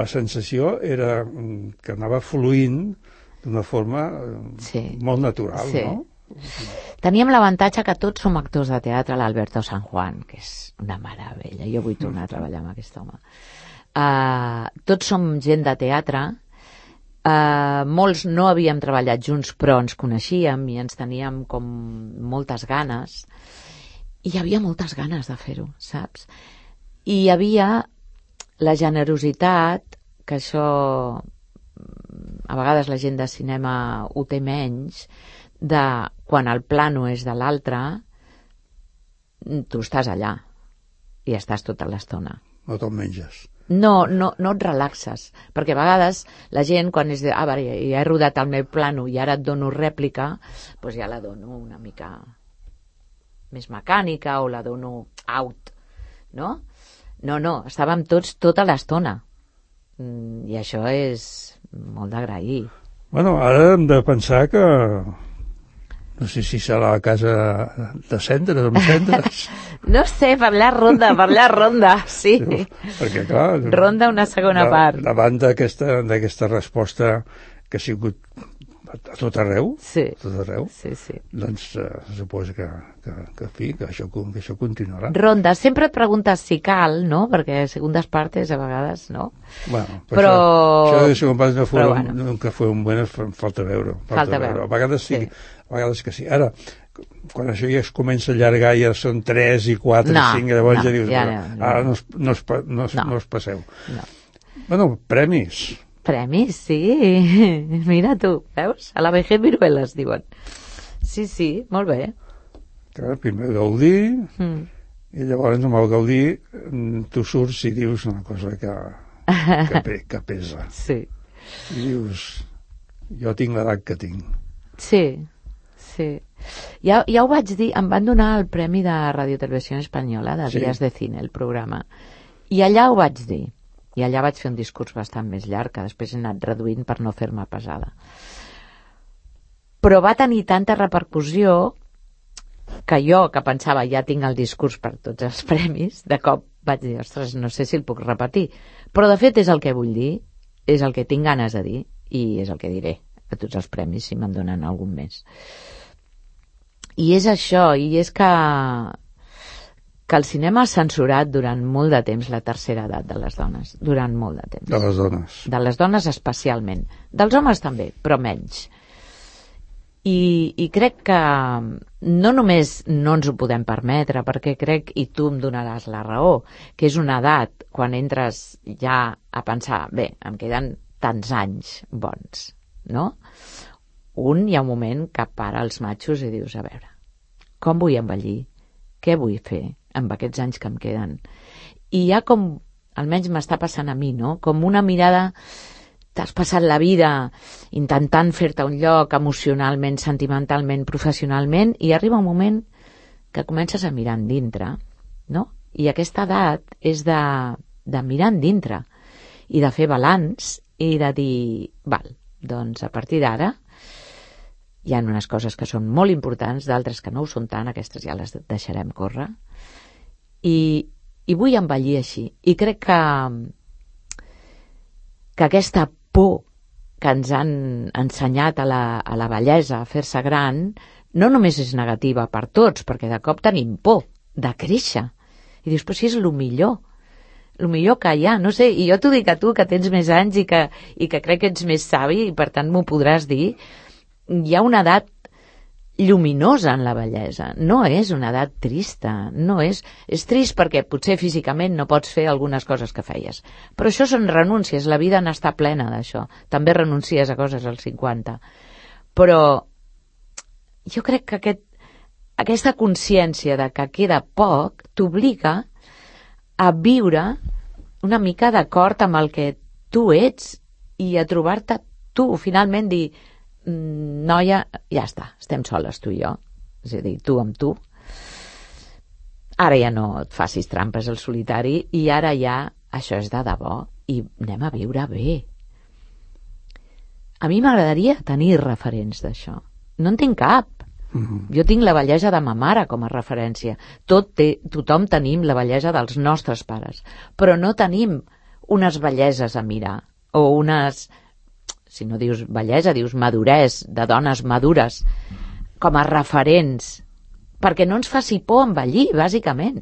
[SPEAKER 2] la sensació era que anava fluint d'una forma sí. molt natural, sí. no?
[SPEAKER 3] Teníem l'avantatge que tots som actors de teatre, l'Alberto San Juan, que és una meravella. Jo vull tornar a treballar amb aquest home. Uh, tots som gent de teatre. Uh, molts no havíem treballat junts, però ens coneixíem i ens teníem com moltes ganes, i hi havia moltes ganes de fer-ho, saps? I hi havia la generositat, que això a vegades la gent de cinema ho té menys, de quan el plano és de l'altre, tu estàs allà i estàs tota l'estona.
[SPEAKER 2] No te'l menges.
[SPEAKER 3] No, no, no et relaxes, perquè a vegades la gent quan és de, ah, vale, ja he rodat el meu plano i ara et dono rèplica, doncs ja la dono una mica més mecànica o la dono out, no? No, no, estàvem tots tota l'estona i això és molt d'agrair.
[SPEAKER 2] Bueno, ara hem de pensar que no sé si serà la casa de cendres, amb cendres.
[SPEAKER 3] No sé, parlar ronda, parlar ronda, sí. sí
[SPEAKER 2] perquè, clar...
[SPEAKER 3] Ronda una segona
[SPEAKER 2] da,
[SPEAKER 3] part.
[SPEAKER 2] Davant d'aquesta resposta que ha sigut a tot arreu,
[SPEAKER 3] sí.
[SPEAKER 2] a tot arreu,
[SPEAKER 3] sí, sí.
[SPEAKER 2] doncs uh, suposo que, que, que, fi, que, això, que això continuarà.
[SPEAKER 3] Ronda, sempre et preguntes si cal, no? Perquè segundes partes a vegades, no?
[SPEAKER 2] Bueno,
[SPEAKER 3] però...
[SPEAKER 2] Això, això de segon part no fue,
[SPEAKER 3] bueno.
[SPEAKER 2] nunca fue un buen, falta veure. Falta,
[SPEAKER 3] falta veure.
[SPEAKER 2] A vegades sí,
[SPEAKER 3] sí,
[SPEAKER 2] a vegades que sí. Ara, quan això ja es comença a allargar, ja són tres i quatre
[SPEAKER 3] no,
[SPEAKER 2] i cinc, llavors
[SPEAKER 3] no,
[SPEAKER 2] ja dius,
[SPEAKER 3] ja,
[SPEAKER 2] no,
[SPEAKER 3] no,
[SPEAKER 2] ara no us, no us, no us,
[SPEAKER 3] no.
[SPEAKER 2] no us passeu.
[SPEAKER 3] No.
[SPEAKER 2] Bueno, premis.
[SPEAKER 3] Premis, sí. Mira tu, veus? A la vejez viruelas, diuen. Sí, sí, molt bé.
[SPEAKER 2] Clar, primer Gaudí, mm. i llavors amb el Gaudí tu surts i dius una cosa que, que, pe, que pesa.
[SPEAKER 3] Sí.
[SPEAKER 2] I dius, jo tinc l'edat que tinc.
[SPEAKER 3] Sí, sí. Ja, ja ho vaig dir, em van donar el premi de Radio Televisió Espanyola, de
[SPEAKER 2] sí.
[SPEAKER 3] Días de Cine, el programa. I allà ho vaig dir. I allà vaig fer un discurs bastant més llarg, que després he anat reduint per no fer-me pesada. Però va tenir tanta repercussió que jo, que pensava ja tinc el discurs per tots els premis, de cop vaig dir, ostres, no sé si el puc repetir. Però de fet és el que vull dir, és el que tinc ganes de dir, i és el que diré a tots els premis, si me'n donen algun més. I és això, i és que, que el cinema ha censurat durant molt de temps la tercera edat de les dones, durant molt de temps.
[SPEAKER 2] De les dones.
[SPEAKER 3] De les dones especialment. Dels homes també, però menys. I, i crec que no només no ens ho podem permetre, perquè crec, i tu em donaràs la raó, que és una edat quan entres ja a pensar, bé, em queden tants anys bons, no? Un hi ha un moment que para els matxos i dius, a veure, com vull envellir? Què vull fer amb aquests anys que em queden? I hi ha com, almenys m'està passant a mi, no? Com una mirada... T'has passat la vida intentant fer-te un lloc emocionalment, sentimentalment, professionalment, i arriba un moment que comences a mirar endintre, no? I aquesta edat és de, de mirar endintre i de fer balanç i de dir, val, doncs a partir d'ara hi ha unes coses que són molt importants, d'altres que no ho són tant, aquestes ja les deixarem córrer, i, i vull envellir així. I crec que, que aquesta por que ens han ensenyat a la, a la bellesa, a fer-se gran, no només és negativa per tots, perquè de cop tenim por de créixer. I dius, però si és el millor, el millor que hi ha, no sé, i jo t'ho dic a tu, que tens més anys i que, i que crec que ets més savi, i per tant m'ho podràs dir, hi ha una edat lluminosa en la bellesa, no és una edat trista, no és... És trist perquè potser físicament no pots fer algunes coses que feies, però això són renúncies, la vida n'està plena d'això, també renuncies a coses als cinquanta, però jo crec que aquest, aquesta consciència de que queda poc t'obliga a viure una mica d'acord amb el que tu ets i a trobar-te tu, finalment dir, noia, ja està, estem soles tu i jo, és a dir, tu amb tu, ara ja no et facis trampes al solitari i ara ja això és de debò i anem a viure bé. A mi m'agradaria tenir referents d'això, no en tinc cap. Mm-hmm. Jo tinc la bellesa de ma mare com a referència, Tot té, tothom tenim la bellesa dels nostres pares, però no tenim unes belleses a mirar o unes... si no dius bellesa, dius maduresa, de dones madures, com a referents, perquè no ens faci por envellir, bàsicament,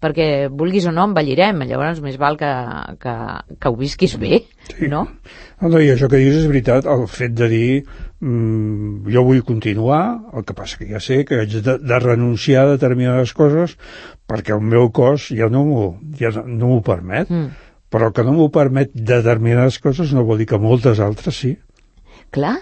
[SPEAKER 3] perquè vulguis o no envellirem, llavors més val que, que, que ho visquis bé, sí. No?
[SPEAKER 2] No, i això que dius és veritat, el fet de dir mmm, jo vull continuar, el que passa que ja sé que haig de, de renunciar a determinades coses perquè el meu cos ja no m'ho ja no m'ho permet. Mm. Però que no m'ho permet determinades coses no vol dir que moltes altres sí.
[SPEAKER 3] Clar,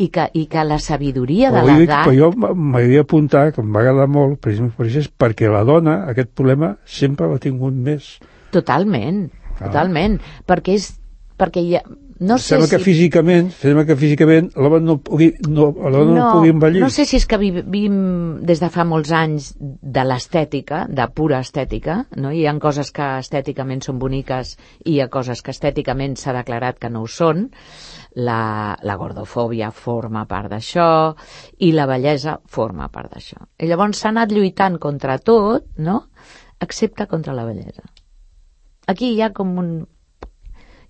[SPEAKER 3] i que, i que la sabidoria de
[SPEAKER 2] l'edat...
[SPEAKER 3] l'edat...
[SPEAKER 2] Jo m'havia apuntat, que em va agradar molt, precisament perquè la dona, aquest problema, sempre l'ha tingut més.
[SPEAKER 3] Totalment, ah. totalment, perquè és... perquè ja... No sé
[SPEAKER 2] sembla
[SPEAKER 3] si...
[SPEAKER 2] que físicament, sembla que físicament l'home no pugui, no, no, no pugui envellir.
[SPEAKER 3] No sé si és que vivim des de fa molts anys de l'estètica, de pura estètica, no? Hi ha coses que estèticament són boniques i hi ha coses que estèticament s'ha declarat que no ho són. La, la gordofòbia forma part d'això i la bellesa forma part d'això. I llavors s'ha anat lluitant contra tot, no? Excepte contra la bellesa. Aquí hi ha com un...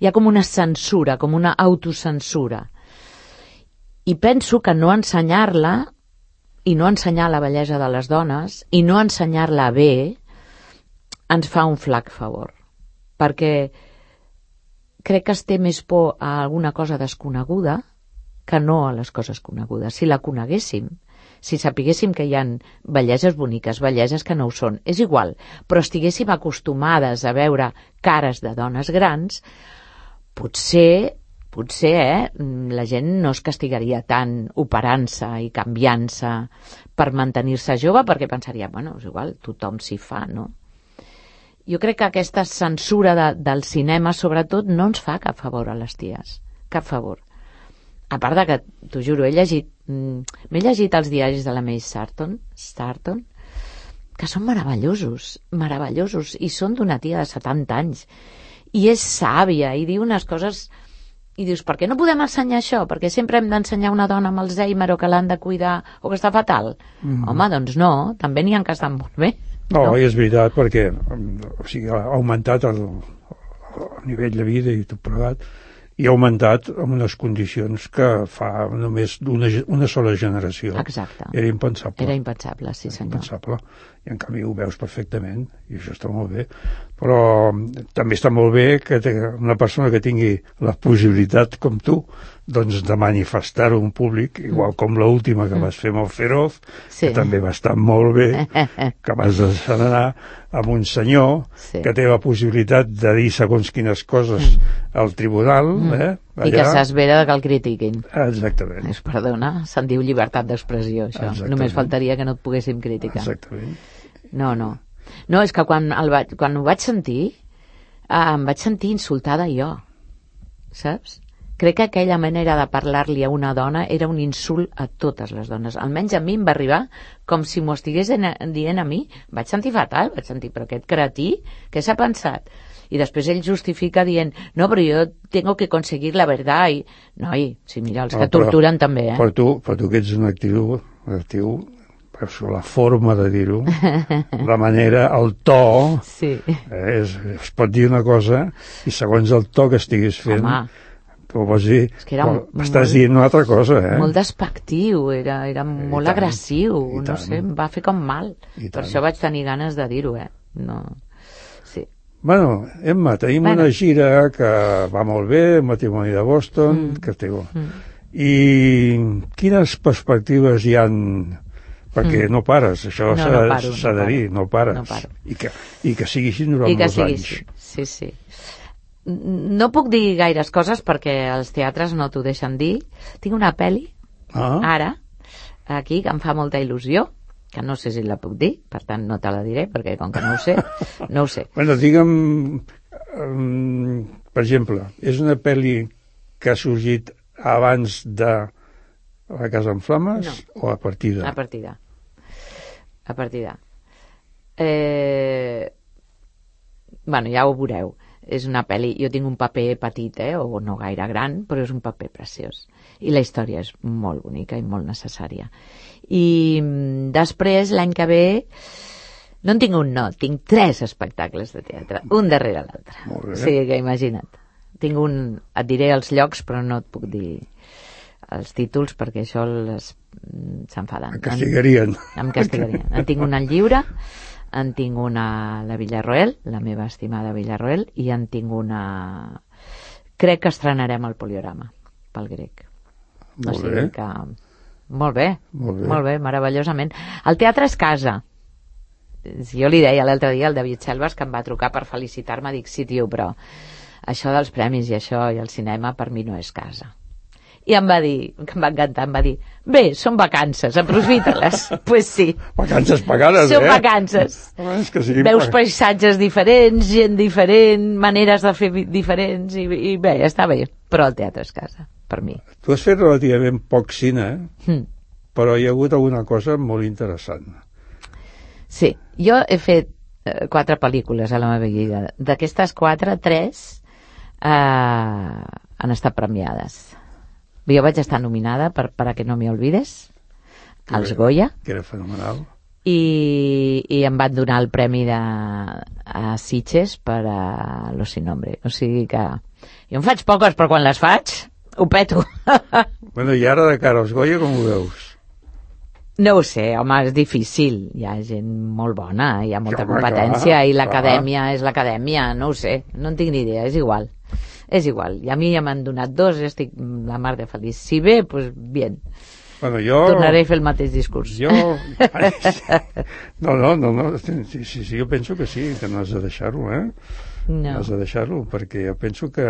[SPEAKER 3] hi ha com una censura, com una autocensura. I penso que no ensenyar-la i no ensenyar la bellesa de les dones i no ensenyar-la bé ens fa un flac favor. Perquè crec que es té més por a alguna cosa desconeguda que no a les coses conegudes. Si la coneguéssim, si sapiguéssim que hi ha belleses boniques, belleses que no ho són, és igual, però estiguéssim acostumades a veure cares de dones grans, potser, potser eh, la gent no es castigaria tant operant-se i canviant-se per mantenir-se jove, perquè pensaria, bueno, és igual, tothom s'hi fa, no? Jo crec que aquesta censura de, del cinema, sobretot, no ens fa cap favor a les ties, cap favor. A part de que, t'ho juro, he llegit, m'he llegit els diaris de la May Sarton, Sarton, que són meravellosos, meravellosos, i són d'una tia de setanta anys, i és sàvia, i diu unes coses, i dius, per què no podem ensenyar això? Perquè sempre hem d'ensenyar una dona amb Alzheimer o que l'han de cuidar o que està fatal? Mm. Home, doncs no, també n'hi ha que estan molt bé.
[SPEAKER 2] No, no? I és veritat, perquè o sigui, ha augmentat el, el nivell de vida i tot plegat, i ha augmentat en unes condicions que fa només una, una sola generació.
[SPEAKER 3] Exacte.
[SPEAKER 2] Era impensable.
[SPEAKER 3] Era impensable, sí
[SPEAKER 2] Era
[SPEAKER 3] senyor.
[SPEAKER 2] Impensable. I en canvi ho veus perfectament, i això està molt bé. Però també està molt bé que una persona que tingui la possibilitat, com tu, doncs de manifestar-ho en públic, igual com l'última que vas fer amb el Feroz,
[SPEAKER 3] sí.
[SPEAKER 2] que també va estar molt bé, que vas deixar anar amb un senyor
[SPEAKER 3] sí.
[SPEAKER 2] que té la possibilitat de dir segons quines coses mm. al tribunal, mm. eh?
[SPEAKER 3] Allà. I que s'espera que el critiquin.
[SPEAKER 2] Exactament.
[SPEAKER 3] Es perdona, se'n diu llibertat d'expressió, això. Exactament. Només faltaria que no et poguéssim criticar.
[SPEAKER 2] Exactament.
[SPEAKER 3] No, no. No, és que quan, el vaig, quan ho vaig sentir, eh, em vaig sentir insultada jo, saps? Crec que aquella manera de parlar-li a una dona era un insult a totes les dones. Almenys a mi em va arribar com si m'ho estigués dient a mi. Vaig sentir fatal, vaig sentir, però aquest cretí, què s'ha pensat? I després ell justifica dient, no, però jo tengo que conseguir la verdad. I, noi, sí, mira, els que no, però, torturen també, eh?
[SPEAKER 2] Però tu, però tu que ets un actiu, actiu la forma de dir-ho, la manera, el to,
[SPEAKER 3] sí.
[SPEAKER 2] eh, és, es pot dir una cosa i segons el to que estiguis fent,
[SPEAKER 3] home,
[SPEAKER 2] ho vols dir,
[SPEAKER 3] és que era
[SPEAKER 2] estàs
[SPEAKER 3] molt,
[SPEAKER 2] dient una altra cosa, eh?
[SPEAKER 3] Molt despectiu, era, era molt
[SPEAKER 2] tant,
[SPEAKER 3] agressiu, no sé, em va fer com mal.
[SPEAKER 2] I
[SPEAKER 3] per
[SPEAKER 2] tant.
[SPEAKER 3] Això vaig tenir ganes de dir-ho, eh? No. Sí.
[SPEAKER 2] Bueno, Emma, tenim bueno. una gira que va molt bé, el matrimoni de Boston, mm. que té... Mm. I quines perspectives hi han... Perquè mm. no pares, això
[SPEAKER 3] no,
[SPEAKER 2] s'ha
[SPEAKER 3] no paro,
[SPEAKER 2] no de dir, no pares.
[SPEAKER 3] No paro.
[SPEAKER 2] I, que, I que sigui així durant
[SPEAKER 3] I que
[SPEAKER 2] molts
[SPEAKER 3] sigui
[SPEAKER 2] anys.
[SPEAKER 3] així. Sí, sí. No puc dir gaires coses perquè els teatres no t'ho deixen dir. Tinc una pel·li,
[SPEAKER 2] ah.
[SPEAKER 3] ara, aquí, que em fa molta il·lusió, que no sé si la puc dir, per tant no te la diré, perquè com que no ho sé, no ho sé.
[SPEAKER 2] Bueno, digue'm, um, per exemple, és una pel·li que ha sorgit abans de La Casa en Flames
[SPEAKER 3] no.
[SPEAKER 2] o a partir de?
[SPEAKER 3] A partir de. A partir de. Eh... Bueno, ja ho veureu. És una pel·li, jo tinc un paper petit, eh, o no gaire gran, però és un paper preciós. I la història és molt bonica i molt necessària. I després, l'any que ve, no en tinc un, no, tinc tres espectacles de teatre, un darrere l'altre.
[SPEAKER 2] Molt bé.
[SPEAKER 3] O sigui que imagina't. Tinc un, et diré els llocs, però no et puc dir els títols, perquè això les s'enfaden.
[SPEAKER 2] Em castigarien.
[SPEAKER 3] Em castigarien. En tinc una al Lliure, en tinc una a la Villarroel, la meva estimada Villarroel, i en tinc una... Crec que estrenarem el Poliorama, pel Grec.
[SPEAKER 2] Molt
[SPEAKER 3] o sigui
[SPEAKER 2] bé.
[SPEAKER 3] que... Molt bé,
[SPEAKER 2] molt bé,
[SPEAKER 3] molt bé, meravellosament. El teatre és casa. Jo li deia l'altre dia al David Selves, que em va trucar per felicitar-me, dic, sí, tio, però això dels premis i això i el cinema per mi no és casa. I em va dir, que em va encantar, em va dir, bé, són vacances, aprofita-les. Pues sí.
[SPEAKER 2] Vacances pagades,
[SPEAKER 3] són
[SPEAKER 2] eh?
[SPEAKER 3] Són vacances.
[SPEAKER 2] Home, és que sí,
[SPEAKER 3] veus paisatges diferents, gent diferent, maneres de fer diferents, i, i bé, està bé. Però el teatre és casa, per mi.
[SPEAKER 2] Tu has fet relativament poc cine,
[SPEAKER 3] mm.
[SPEAKER 2] però hi ha hagut alguna cosa molt interessant.
[SPEAKER 3] Sí, jo he fet eh, quatre pel·lícules a la meva vida. D'aquestes quatre, tres eh, han estat premiades. Jo vaig estar nominada per Para que no me olvides, als Goya.
[SPEAKER 2] Que era fenomenal.
[SPEAKER 3] I, i em van donar el premi de, a Sitges per a Los Sin Nombre. O sigui que jo en faig poques, però quan les faig ho peto.
[SPEAKER 2] Bueno, i ara de cara als Goya com ho veus?
[SPEAKER 3] No ho sé, home, és difícil. Hi ha gent molt bona, hi ha molta
[SPEAKER 2] home,
[SPEAKER 3] competència,
[SPEAKER 2] clar,
[SPEAKER 3] i l'acadèmia és l'acadèmia, no ho sé, no en tinc ni idea, és igual. És igual, i a mi ja m'han donat dos i estic la mar de feliç. Si bé, doncs pues, bien.
[SPEAKER 2] Bueno, jo...
[SPEAKER 3] Tornaré a fer el mateix discurs.
[SPEAKER 2] Jo... No, no, no, no. Sí, sí, sí, jo penso que sí, que no has de deixar-ho, eh?
[SPEAKER 3] No.
[SPEAKER 2] No has de deixar-ho, perquè jo penso que,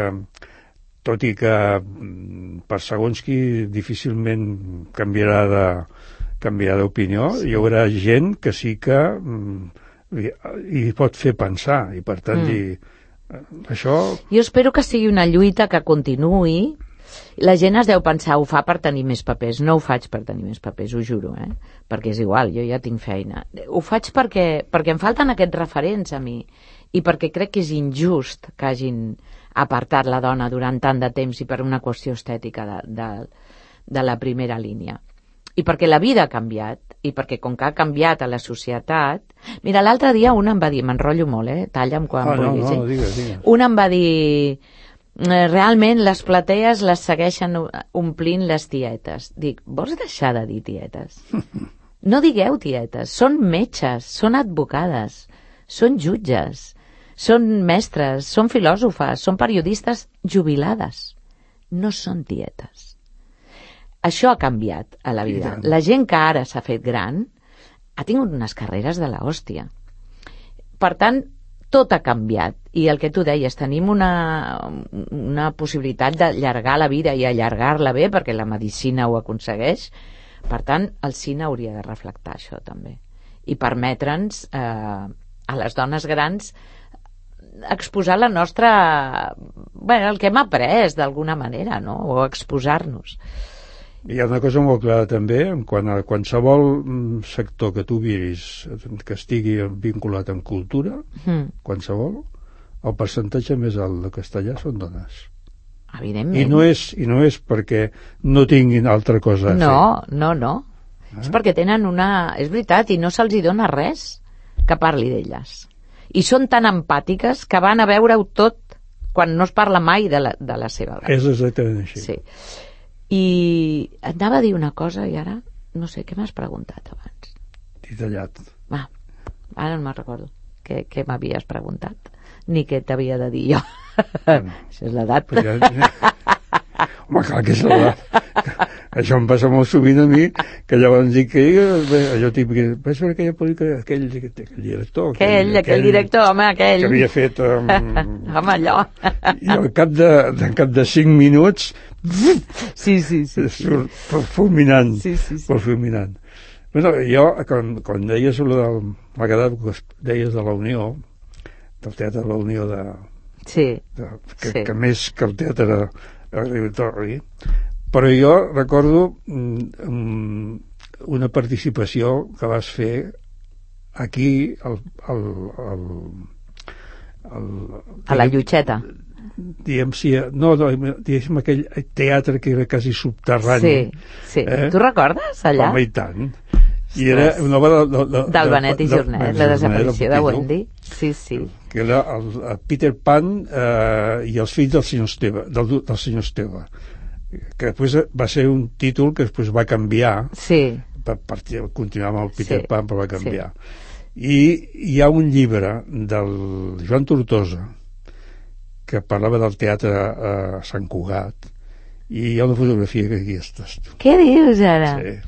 [SPEAKER 2] tot i que per segons qui difícilment canviarà de canviarà d'opinió, sí. Hi haurà gent que sí que li, li pot fer pensar, i per tant mm. dir... Això...
[SPEAKER 3] Jo espero que sigui una lluita que continuï La gent es deu pensar, ho fa per tenir més papers. No ho faig per tenir més papers, ho juro, eh? Perquè és igual, jo ja tinc feina. Ho faig perquè, perquè em falten aquests referents a mi i perquè crec que és injust que hagin apartat la dona durant tant de temps i per una qüestió estètica de, de, de la primera línia. I perquè la vida ha canviat, i perquè com que ha canviat a la societat... Mira, l'altre dia un em va dir, m'enrotllo molt, eh? Talla'm quan
[SPEAKER 2] ah,
[SPEAKER 3] vulguis.
[SPEAKER 2] No, no, digues, digues.
[SPEAKER 3] Un em va dir... Realment les platees les segueixen omplint les tietes. Dic, vols deixar de dir tietes? No digueu tietes, són metges, són advocades, són jutges, són mestres, són filòsofes, són periodistes jubilades. No són tietes. Això ha canviat a la vida. La gent que ara s'ha fet gran ha tingut unes carreres de la hòstia. Per tant, tot ha canviat. I el que tu deies, tenim una, una possibilitat d'allargar la vida i allargar-la bé, perquè la medicina ho aconsegueix. Per tant, el cine hauria de reflectar això també. I permetre'ns eh, a les dones grans exposar la nostra... Bueno, el que hem après d'alguna manera, no? O exposar-nos.
[SPEAKER 2] Hi ha una cosa molt clara també, quan a qualsevol sector que tu miris que estigui vinculat amb cultura, mm. qualsevol, el percentatge més alt de castellà són dones.
[SPEAKER 3] Evidentment.
[SPEAKER 2] I no és, i no és perquè no tinguin altra cosa a
[SPEAKER 3] no,
[SPEAKER 2] fer.
[SPEAKER 3] No, no, no. Eh? És perquè tenen una... És veritat, i no se'ls hi dona res que parli d'elles. I són tan empàtiques que van a veure-ho tot quan no es parla mai de la, de la seva dona.
[SPEAKER 2] És exactament així.
[SPEAKER 3] Sí. I et anava a dir una cosa i ara no sé, què m'has preguntat abans?
[SPEAKER 2] T'he tallat.
[SPEAKER 3] Ah, ara no me'n recordo què, què m'havies preguntat ni què t'havia de dir jo. Bueno, això és l'edat.
[SPEAKER 2] Ja... Home, clar que és l'edat. Això em passa molt sovint a mi, que llavors dic que allò típic, vaig veure aquella pel·lícula, aquell, aquell director
[SPEAKER 3] aquell, aquell, aquell director, home, aquell
[SPEAKER 2] que havia fet um...
[SPEAKER 3] home, allò
[SPEAKER 2] i al cap de, de, cap de cinc minuts
[SPEAKER 3] sí, sí, sí,
[SPEAKER 2] surt fulminant,
[SPEAKER 3] sí, sí, sí.
[SPEAKER 2] fulminant. Bueno, jo, quan, quan deies del, m'ha quedat que deies de la Unió, del Teatre de la Unió de,
[SPEAKER 3] sí,
[SPEAKER 2] de, que,
[SPEAKER 3] sí.
[SPEAKER 2] que més que el Teatre Auditori, però jo recordo um, una participació que vas fer aquí al, al, al, al,
[SPEAKER 3] a la Llotxeta,
[SPEAKER 2] diguem, si, no, no, diguem aquell teatre que era quasi subterrani.
[SPEAKER 3] Sí, sí. Eh? Tu recordes allà?
[SPEAKER 2] Home, i tant. I era una obra de, de, de,
[SPEAKER 3] del Benet i Jornet,
[SPEAKER 2] de,
[SPEAKER 3] la desaparició de Wendy. Sí, sí.
[SPEAKER 2] Que era el, el Peter Pan eh, i els fills del senyor Esteve, del, del senyor Esteve, que després va ser un títol que després va canviar,
[SPEAKER 3] sí.
[SPEAKER 2] per, per continuar amb el Peter sí. Pan, però va canviar. Sí. I hi ha un llibre del Joan Tortosa que parlava del teatre a Sant Cugat, i hi ha una fotografia que aquí estàs tu.
[SPEAKER 3] Què dius ara?
[SPEAKER 2] Sí.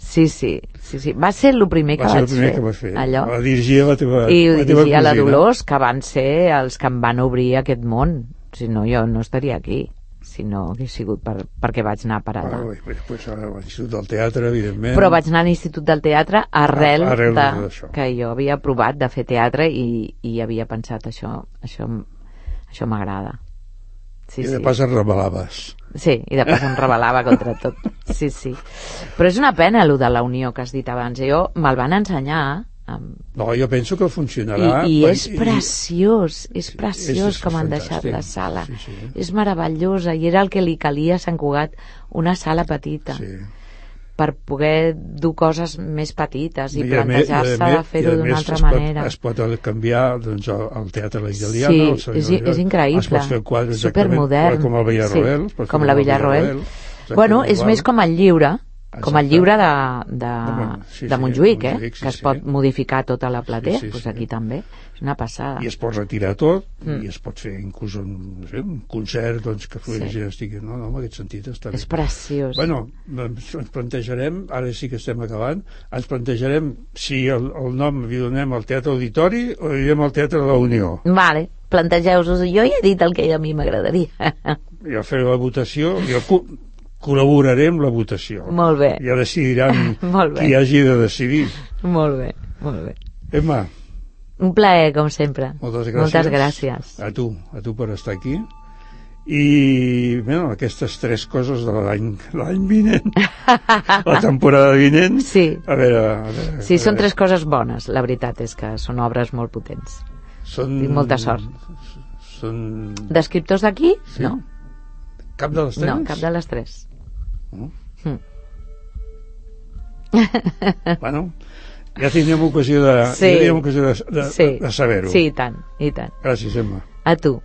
[SPEAKER 3] Sí, sí, sí, sí. Va ser el primer que
[SPEAKER 2] va
[SPEAKER 3] vaig
[SPEAKER 2] ser el primer
[SPEAKER 3] fer.
[SPEAKER 2] que va fer.
[SPEAKER 3] Allò.
[SPEAKER 2] Va dirigir la teva,
[SPEAKER 3] I
[SPEAKER 2] la teva
[SPEAKER 3] dirigia
[SPEAKER 2] cosina.
[SPEAKER 3] La Dolors, que van ser els que em van obrir aquest món. Si no, jo no estaria aquí. Si no hagués sigut per, perquè vaig anar per allà.
[SPEAKER 2] Ah, pues, pues, a l'Institut del Teatre, evidentment.
[SPEAKER 3] Però vaig anar a l'Institut del Teatre arrel,
[SPEAKER 2] ah, arrel
[SPEAKER 3] de,
[SPEAKER 2] de,
[SPEAKER 3] que jo havia provat de fer teatre i, i havia pensat això, això, això m'agrada. Sí,
[SPEAKER 2] I de
[SPEAKER 3] sí.
[SPEAKER 2] pas et rebel·laves.
[SPEAKER 3] Sí, i de pas em rebel·lava contra tot. Sí, sí. Però és una pena, allò de la Unió que has dit abans. Jo me'l van ensenyar. Amb...
[SPEAKER 2] No, jo penso que funcionarà.
[SPEAKER 3] I, i
[SPEAKER 2] per...
[SPEAKER 3] és preciós, és preciós
[SPEAKER 2] és, és
[SPEAKER 3] com han
[SPEAKER 2] fantàstic.
[SPEAKER 3] deixat la sala.
[SPEAKER 2] Sí, sí.
[SPEAKER 3] És meravellosa, i era el que li calia a Sant Cugat, una sala petita.
[SPEAKER 2] Sí.
[SPEAKER 3] Per poder dur coses més petites i,
[SPEAKER 2] I
[SPEAKER 3] plantejar-se de fer-ho d'una altra
[SPEAKER 2] es
[SPEAKER 3] manera.
[SPEAKER 2] Pot, es pot canviar doncs, el teatre italià.
[SPEAKER 3] Sí, és, és increïble.
[SPEAKER 2] Es pot fer quadres
[SPEAKER 3] supermodern.
[SPEAKER 2] Com el Villarroel.
[SPEAKER 3] Sí, com la Villarroel. Bueno, és igual. Més com el llibre, com el llibre de, de,
[SPEAKER 2] sí,
[SPEAKER 3] de Montjuïc, eh?
[SPEAKER 2] Montjuïc sí,
[SPEAKER 3] que es
[SPEAKER 2] sí.
[SPEAKER 3] pot modificar tota la platea,
[SPEAKER 2] sí, sí,
[SPEAKER 3] doncs
[SPEAKER 2] sí.
[SPEAKER 3] aquí també. És una passada.
[SPEAKER 2] I es pot retirar tot, mm. i es pot fer inclús un, no sé, un concert doncs, que sí. gent estigui... No, no, en aquest sentit està bé.
[SPEAKER 3] És preciós.
[SPEAKER 2] Bueno, ens plantejarem, ara sí que estem acabant, ens plantejarem si el, el nom li donem al Teatre Auditori o li donem al Teatre de la Unió.
[SPEAKER 3] Vale, plantegeu-vos. Jo ja he dit el que a mi m'agradaria.
[SPEAKER 2] Jo faré la votació, jo col·laborarem la votació.
[SPEAKER 3] Molt bé.
[SPEAKER 2] Ja decidiran
[SPEAKER 3] Molt bé.
[SPEAKER 2] qui hagi de decidir.
[SPEAKER 3] Molt bé, molt bé.
[SPEAKER 2] Emma,
[SPEAKER 3] un plaer, com sempre.
[SPEAKER 2] moltes gràcies.
[SPEAKER 3] Moltes gràcies.
[SPEAKER 2] A tu, a tu per estar aquí. I, bueno, aquestes tres coses de l'any l'any vinent, la temporada vinent,
[SPEAKER 3] sí.
[SPEAKER 2] a veure... A veure
[SPEAKER 3] sí,
[SPEAKER 2] a
[SPEAKER 3] són
[SPEAKER 2] veure.
[SPEAKER 3] tres coses bones, la veritat és que són obres molt potents.
[SPEAKER 2] Són...
[SPEAKER 3] Tinc molta sort.
[SPEAKER 2] Són...
[SPEAKER 3] D'escriptors d'aquí?
[SPEAKER 2] Sí?
[SPEAKER 3] No.
[SPEAKER 2] Cap de les tres?
[SPEAKER 3] No, cap de les tres.
[SPEAKER 2] No?
[SPEAKER 3] Mm.
[SPEAKER 2] Bueno, ja tindrem ocasió de,
[SPEAKER 3] sí.
[SPEAKER 2] ja tindrem ocasió de, de,
[SPEAKER 3] sí.
[SPEAKER 2] de saber-ho.
[SPEAKER 3] Sí, i tant, i tant.
[SPEAKER 2] Gràcies, Emma.
[SPEAKER 3] A tu.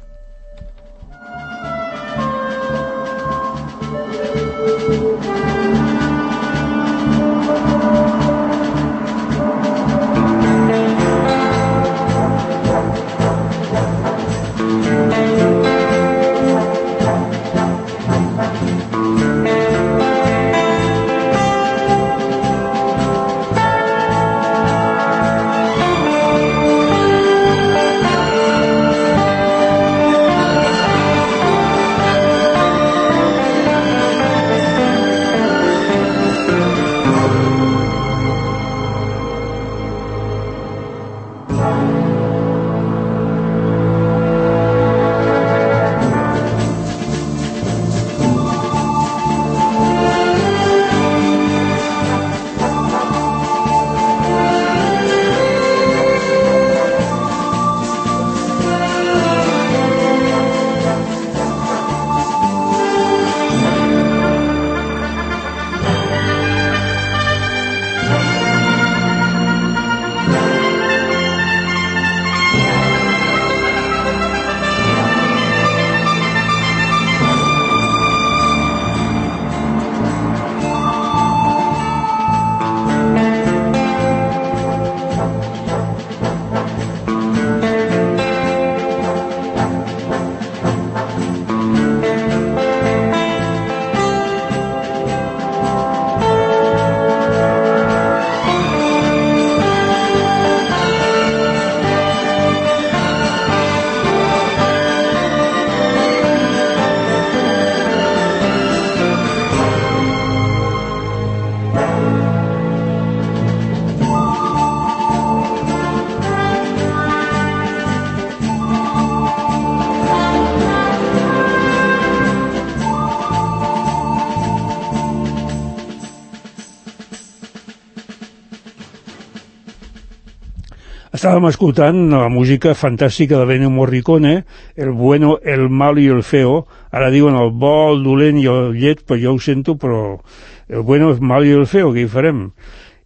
[SPEAKER 2] Estàvem escoltant la música fantàstica de Ennio Morricone, el bueno, el malo i el feo. Ara diuen el bo, el dolent i el llet, però jo ho sento, però el bueno, el malo i el feo, què hi farem?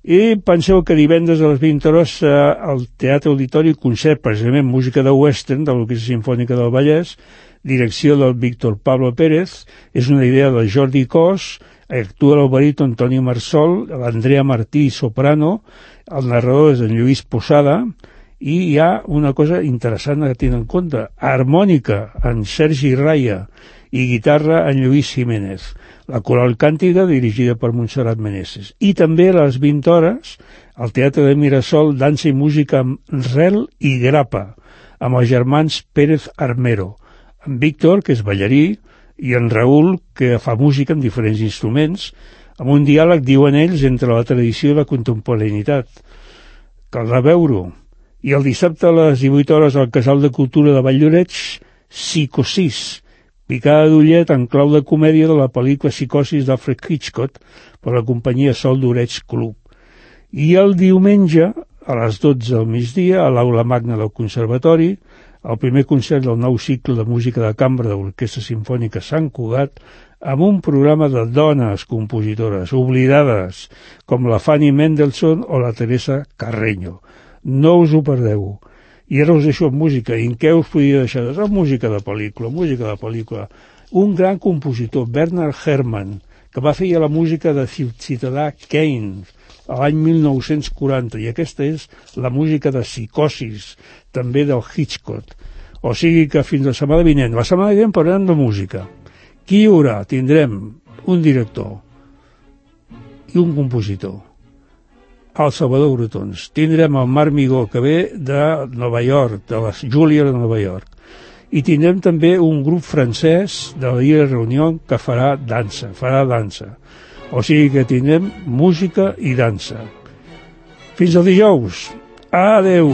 [SPEAKER 2] I penseu que divendres a les vint hores eh, al Teatre Auditori concert precisament música de western de l'Orquestra Simfònica del Vallès, direcció del Víctor Pablo Pérez, és una idea del Jordi Cos, actua el baríton Toni Marsol, l'Andrea Martí, soprano, el narrador és en Lluís Posada, i hi ha una cosa interessant a tenir en compte, harmònica en Sergi Raya i guitarra en Lluís Jiménez, la coral càntica dirigida per Montserrat Meneses. I també a les vint hores al Teatre de Mirasol dansa i música amb Rel i Grapa, amb els germans Pérez Armero, en Víctor, que és ballarí, i en Raül, que fa música amb diferents instruments, amb un diàleg, diuen ells, entre la tradició i la contemporaneïtat. Caldrà veure-ho. I el dissabte a les divuit hores al Casal de Cultura de Valldoreix, Psicosis, picada d'ullet en clau de comèdia de la pel·lícula Psicosis d'Alfred Hitchcock per la companyia Sol d'Oreig Club. I el diumenge, a les dotze del migdia, a l'Aula Magna del Conservatori, el primer concert del nou cicle de música de cambra de l'Orquestra Simfònica Sant Cugat, amb un programa de dones compositores oblidades, com la Fanny Mendelssohn o la Teresa Carreño. No us ho perdeu. I ara us deixo amb música. I en què us podia deixar? És música de pel·lícula, música de pel·lícula. Un gran compositor, Bernard Herrmann, que va fer ja la música de Ciutadà Kane l'any mil nou-cents quaranta, i aquesta és la música de Psicosis, també del Hitchcock. O sigui que fins la setmana vinent. La setmana vinent parlarem de música. Qui hi haurà? Tindrem un director i un compositor, el Salvador Brotons. Tindrem el Marc Migó, que ve de Nova York, de les Julia de Nova York. I tindrem també un grup francès de la Illa Reunió que farà dansa, farà dansa. O sigui que tindrem música i dansa. Fins al dijous. Adeu.